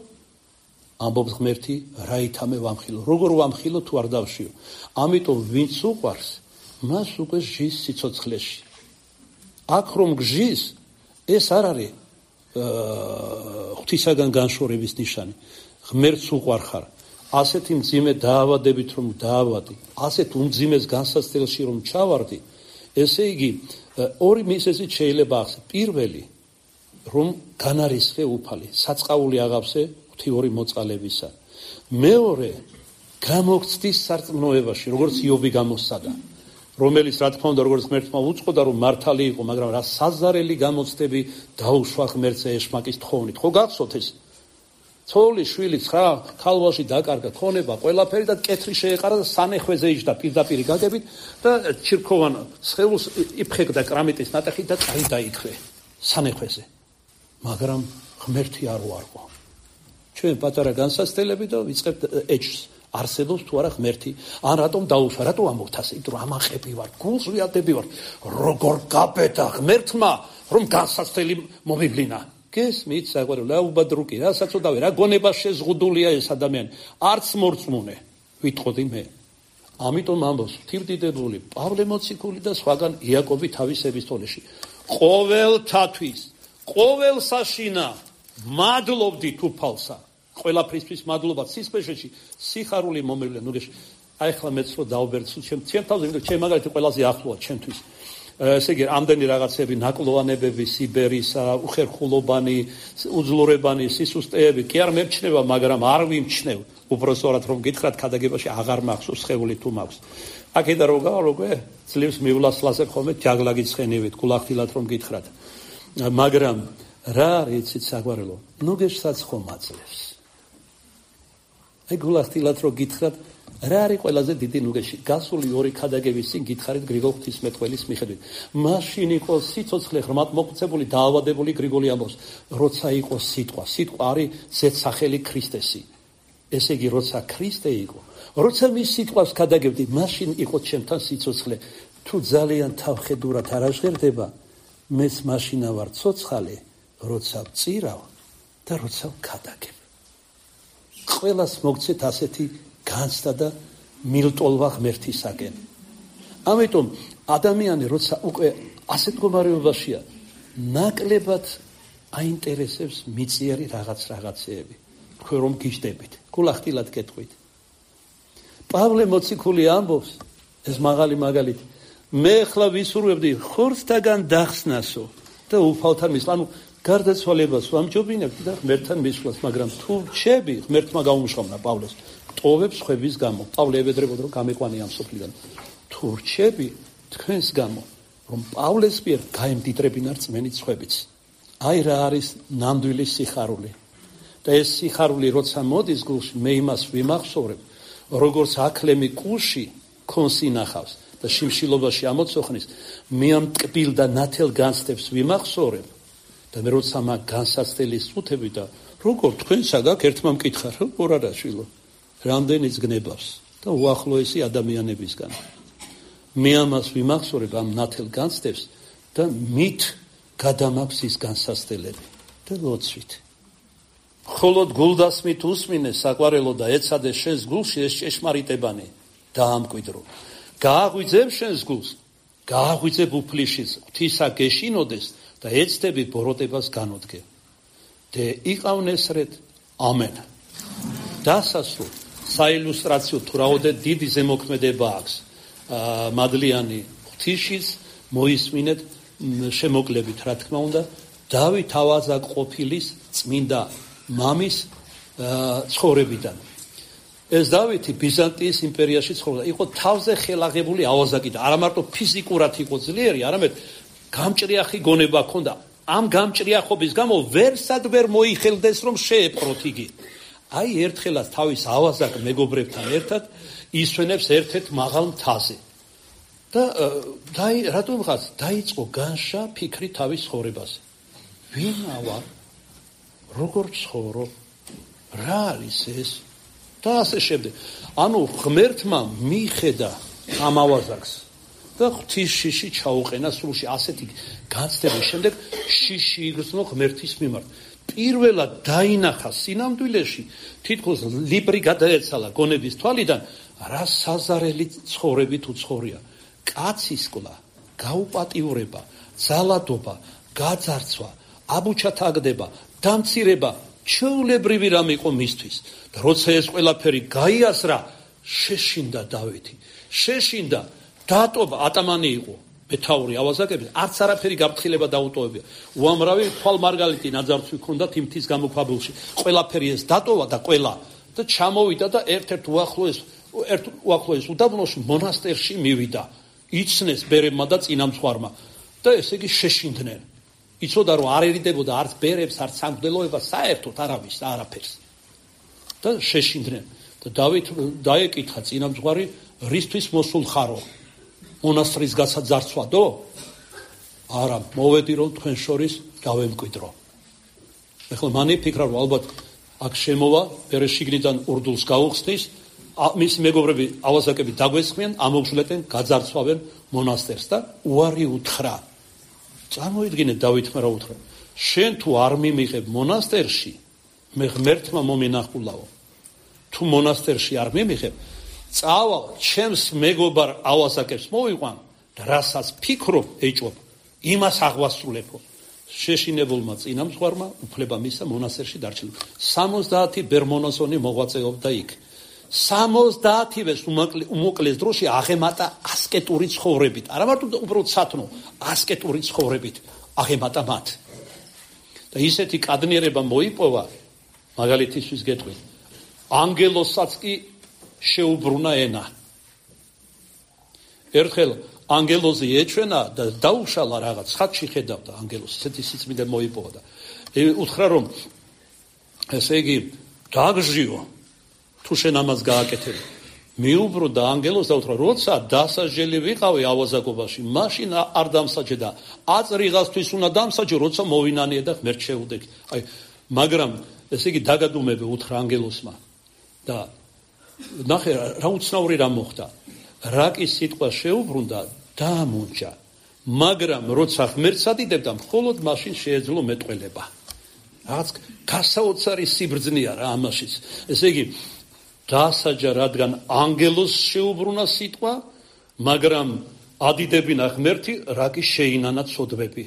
ამბობს ღმერთი, რა ითამე ვამხილო. როგორ ვამხილო თუ არ დავშიო. ამიტომ ვინც უყვარს, მას უკვე ჟის სიცოცხლეში. აქ რომ გჟის, ეს არ არის ღვთისაგან განშორების ნიშანი. ღმერთს უყვარ ხარ. ასეთი მძიმე დაავადებით რომ დაავადი, ასეთ უმძიმეს განსაცდელში რომ ჩავარდი, ესე იგი ორი მიზეზით შეიძლება ახსნე. პირველი, რომ განარისხე უფალი, საწყაული აღავსე ღვთიური მოწყალებისა. მეორე, გამოგცდის სარწმუნოებაში, როგორც იობი გამოსცადა, რომელიც რა თქმა უნდა როგორც ღმერთმა უწყოდა რომ მართალი იყო, მაგრამ რა საზარელი გამოცდები დაუშვა ღმერთზე ეშმაკის თხოვნით. ხო გახსოვთ ეს? ცოლი, შვილი, ცხრა ქალვაში დაკარგა, ქონება, ყველაფერი და კეთრი შეეყარა და სანეხვეზე იჯდა პირდაპირ გაგებით და ჩირქოვან სხეულს იფხეკდა კრამიტის ნატეხით და წარი დაიქრე სანეხვეზე. მაგრამ ღმერთი არ უარყო. ჩვენ პატარა განსაცდელები და ვიწყებთ ეჭვს. არსებობს თუ არა ღმერთი? ან რატომ დაუშვა? რატო ამბობთ ასე? იმიტომ რომ ამაყები ვარ, გულს ვიადები ვარ. როგორ გაბედა ღმერთმა რომ განსაცდელი მომივლინა? გესმით საყვარელი, რა უბადრუკი, რა საწოდავი, რა გონება შეზღუდულია ეს ადამიანი. არც მორწმუნე ვიტყოდი მე. ამიტომ ამბობს თირდიდებული პავლე მოციქული და სხვაგან იაკობი თავის ეპისტოლეში. ყოველთათვის, ყოველ საშინა მადლობდით უფალსა. ყველაფრისთვის მადლობა სისხლში, სიხარული მომევლია. ნუ გეშ, აი ახლა მეც რო დავბერდ ჩემ ჩემ თავზე, იმიტომ ჩემ მაგალითი ყველაზე ახლოა ჩემთვის. ესე იგი, ამდენი რაღაცები, ნაკლოვანებები, სიბერისა, უხერხულობანი, უძლურებანი, სისუსტეები, კი არ მერჩნევა, მაგრამ არ ვიმჩნევ. უბრალოდ რომ გითხრათ, ქადაგებაში აღარ მახსოვს სხეული თუ მაქვს. აქედან რო გავალოგვე, ძლივს მივლასლასებ ხოლმე ჯაგლაგის ხენივით, გულახდილად რომ გითხრათ. მაგრამ რა არის იცით საგვარელო? ნუ გეშსაც ხომ აძლევს. აი გულახდილად რომ გითხრათ, რა არის ყველაზე დიდი ნუგეში? გასული ორი ქადაგების წინ გითხარით გრიგოლ ღვთისმეტყველის მიხედვით. მაშინ იყო სიცოცხლე ღრმად მოქცეული, დაავადებული გრიგოლი ამბობს, როცა იყო სიტყვა. სიტყვა არის ზედსახელი ქრისტესი. ესე იგი, როცა ქრისტე იყო, როცა მის სიტყვას ქადაგებდი, მაშინ იყო ჩემთან სიცოცხლე. თუ ძალიან თავხედურად არ აღღერდება, მეც მაშინა ვარ ცოცხალი, როცა ვწირავ და როცა ვქადაგებ. ყველას მოგცეთ ასეთი განცდა და მილტოლვა ღმერთისაკენ. ამიტომ ადამიანი როცა უკვე ასეთ მდგომარეობაშია, ნაკლებად აინტერესებს მიწიერი რაღაც რაღაცეები. თქვენ რომ გიждებით, გულახდილად გეტყვით. პავლე მოციქული ამბობს, ეს მაღალი მაგალითი, მე ხლა ვისურვებდი ხორცთაგან დახსნასო და უფალთან მისვლა, ანუ გარდაცვალებას ვამჯობინებდი და ღმერთთან მისვლას, მაგრამ თუ რჩები, ღმერთმა გაუმშრომლა პავლეს. ტოვებს ხვების გამო. პავლე ებედრებოდა რომ გამეყვანი ამ სოფლიდან. თუ რჩები თქვენს გამო, რომ პავლეს მიერ გაემდიდრებინა რწმენით ხვებიც. აი რა არის ნამდვილი სიხარული. და ეს სიხარული როცა მოდის გულში, მე იმას ვიმახსოვრებ, როგორც აკლემი კუში ქონს ინახავს და შიმშილობაში ამოცოხნის, მე ამ ტკბილ და ნათელ განცდებს ვიმახსოვრებ და მე როცა მაგ განსაცდელის წუთები და როგორ თქვენ საგაკ ერთმა მკითხა, როგორ არა შვილო? რამდენიც გნებავს და უახლოესი ადამიანებისგან. მე ამას ვიმახსოვრებ ამ ნათელ განცდებს და მით გადამაქვს ის განსაცდელები და ლოცვით. ხოლოდ გულდასმით უსმინე საყვარელო და ეცადე შენს გულში ეს ჭეშმარიტებანი დაამკვიდრო. გააღვიძებ შენს გულს, გააღვიძებ უფლიშიც, ღვთისა გეშინოდეს და ეცდები ბოროტებას განოდგე. და იყავნესრეთ, ამენ. დასასრულ საილუსტრაციო თუ რაოდე დიდი ზემოქმედება აქვს მადლიანი ღვთისშიც მოისმინეთ შემოკლებით, რა თქმა უნდა, დავით ავაზაკყოფილის წმინდა მამის ცხოვრებიდან. ეს დავითი ბიზანტიის იმპერიაში ცხოვრობდა, იყო თავზე ხელაღებული ავაზაკი და არა მარტო ფიზიკურად იყო ძლიერი, არამედ გამჭრიახი გონება ჰქონდა. ამ გამჭრიახობის გამო ვერსად ვერ მოიხელდეს რომ შეეპყროთ იგი. აი ერთხელაც თავის ავაზაკ მეგობრებთან ერთად ისვენებს ერთ-ერთ მაღალ მთაზე. და დაი რატომღაც დაიწყო განშა ფიქრი თავის ცხოვრებაზე. ვინა ვარ, როგორ ცხოვრობ, რა არის ეს და ასე შემდეგ. ანუ ღმერთმა მიხედა ამ ავაზაკს და ღვთის შიში ჩაუყენა სულში. ასეთი განცდების შემდეგ შიში იგრძნო ღმერთის მიმართ. პირველად დაინახა სინამდვილეში, თითქოს ლიბრი გადაეცალა გონების თვალიდან, რა საზარელი ცხოვრებით უცხოვრია. კაცისკლა, გაუპატიურება, ძალადობა, გაძარცვა, აბუჩათაგდება, დამცირება, ჩვეულებრივი რამ იყო მისთვის. და როცა ეს ყველაფერი გაიასრა, შეშინდა დავითი. შეშინდა, დატოვა, ატამანი იყო, მეთაური ავაზაკები, არც არაფერი გაფრთხილება დაუტოვებია. უამრავი თვალმარგალიტი ნაძარცვი ჰქონდათ იმ მთის გამოქვაბულში. ყველაფერი ეს დატოვა და ყველა და ჩამოვიდა და ერთ-ერთ უახლოეს ერთ უახლოეს უდაბნოში მონასტერში მივიდა. იცნეს ბერებმა და წინამძღვარმა და ესე იგი შეშინდნენ. იცოდა რომ არ ერიდებოდა არც ბერებს, არც სამღვდელოებას, საერთოდ არავის და არაფერს. და შეშინდნენ. და დავით დაეკითხა წინამძღვარი, რისთვის მოსულ ხარო? მონასტრის გასაძარცვადო? არა, მოვედი რომ თქვენ შორის გავემკვიდრო. ეხლა მან იფიქრა რომ ალბათ აქ შემოვა, ბერე შიგნიდან ურდულს გაუხსნის, მის მეგობრები ავაზაკები დაგვესხმიან, ამოგჟლეტენ, გაძარცვავენ მონასტერს და უარი უთხრა. წარმოიდგინეთ დავითმა რა უთხრა. შენ თუ არ მიმიღებ მონასტერში, მე ღმერთმა მომენახულაო. თუ მონასტერში არ მიმიღებ, წავალ ჩემს მეგობარ ავაზაკებს მოვიყვან და რასაც ფიქრობ, ეჭვობ, იმას აღვასრულებო. შეშინებულმა წინამძღვარმა უფლება მისცა მონასტერში დარჩენა. სამოცდაათი ბერმონაზონი მოღვაწეობდა იქ. სამოცდაათივეს უმოკლეს დროში აღემატა ასკეტური ცხოვრებით. არა მარტო უბრალოდ სათნო, ასკეტური ცხოვრებით აღემატა მათ. და ისეთი კადნიერება მოიპოვა, მაგალითისთვის გეტყვით, ანგელოსაც კი შეუბრუნა ენა. ერთხელ ანგელოზი ეჩვენა და დაუშალა რაღაც, ხატში ხედავდა ანგელოზი, ესეთი სიწმინდე მოიპოვა და უთხრა რომ ესე იგი დაგჟიო, თუ შენ ამას გააკეთებ. მიუბრო და ანგელოზს და უთხრა, როცა დასაჯელი ვიყავი ავაზაკობაში, მაშინ არ დამსაჯე და აწრიღასთვის უნდა დამსაჯო, როცა მოვინანიე და ღმერთ შეუდექი. აი, მაგრამ ესე იგი დაგადუმებე უთხრა ანგელოზმა და ნახე რა უცნაური რა მოხდა. რაკის სიტყვა შეუბრუნდა, დაამონჯა, მაგრამ როცა ღმერთს ადიდებდა, მხოლოდ მაშინ შეეძლო მეტყველება. რაღაც გასაოცარი სიბრძნეა რა ამაშიც. ესე იგი დასაჯა, რადგან ანგელოზს შეუბრუნა სიტყვა, მაგრამ ადიდებინა ღმერთი, რაკის შეინანა ცოდვები.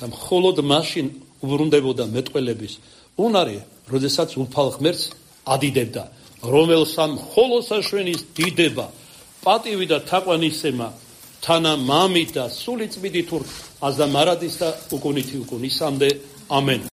და მხოლოდ მაშინ უბრუნდებოდა მეტყველების უნარი, როდესაც უფალ ღმერთს ადიდებდა, რომელსა მხოლოდ საშვენის დიდება, პატივი და თაყვანისცემა, თანა მამით და სული წმიდით ურთ, აზდა მარადის და უკუნითი უკუნისამდე. ამენ.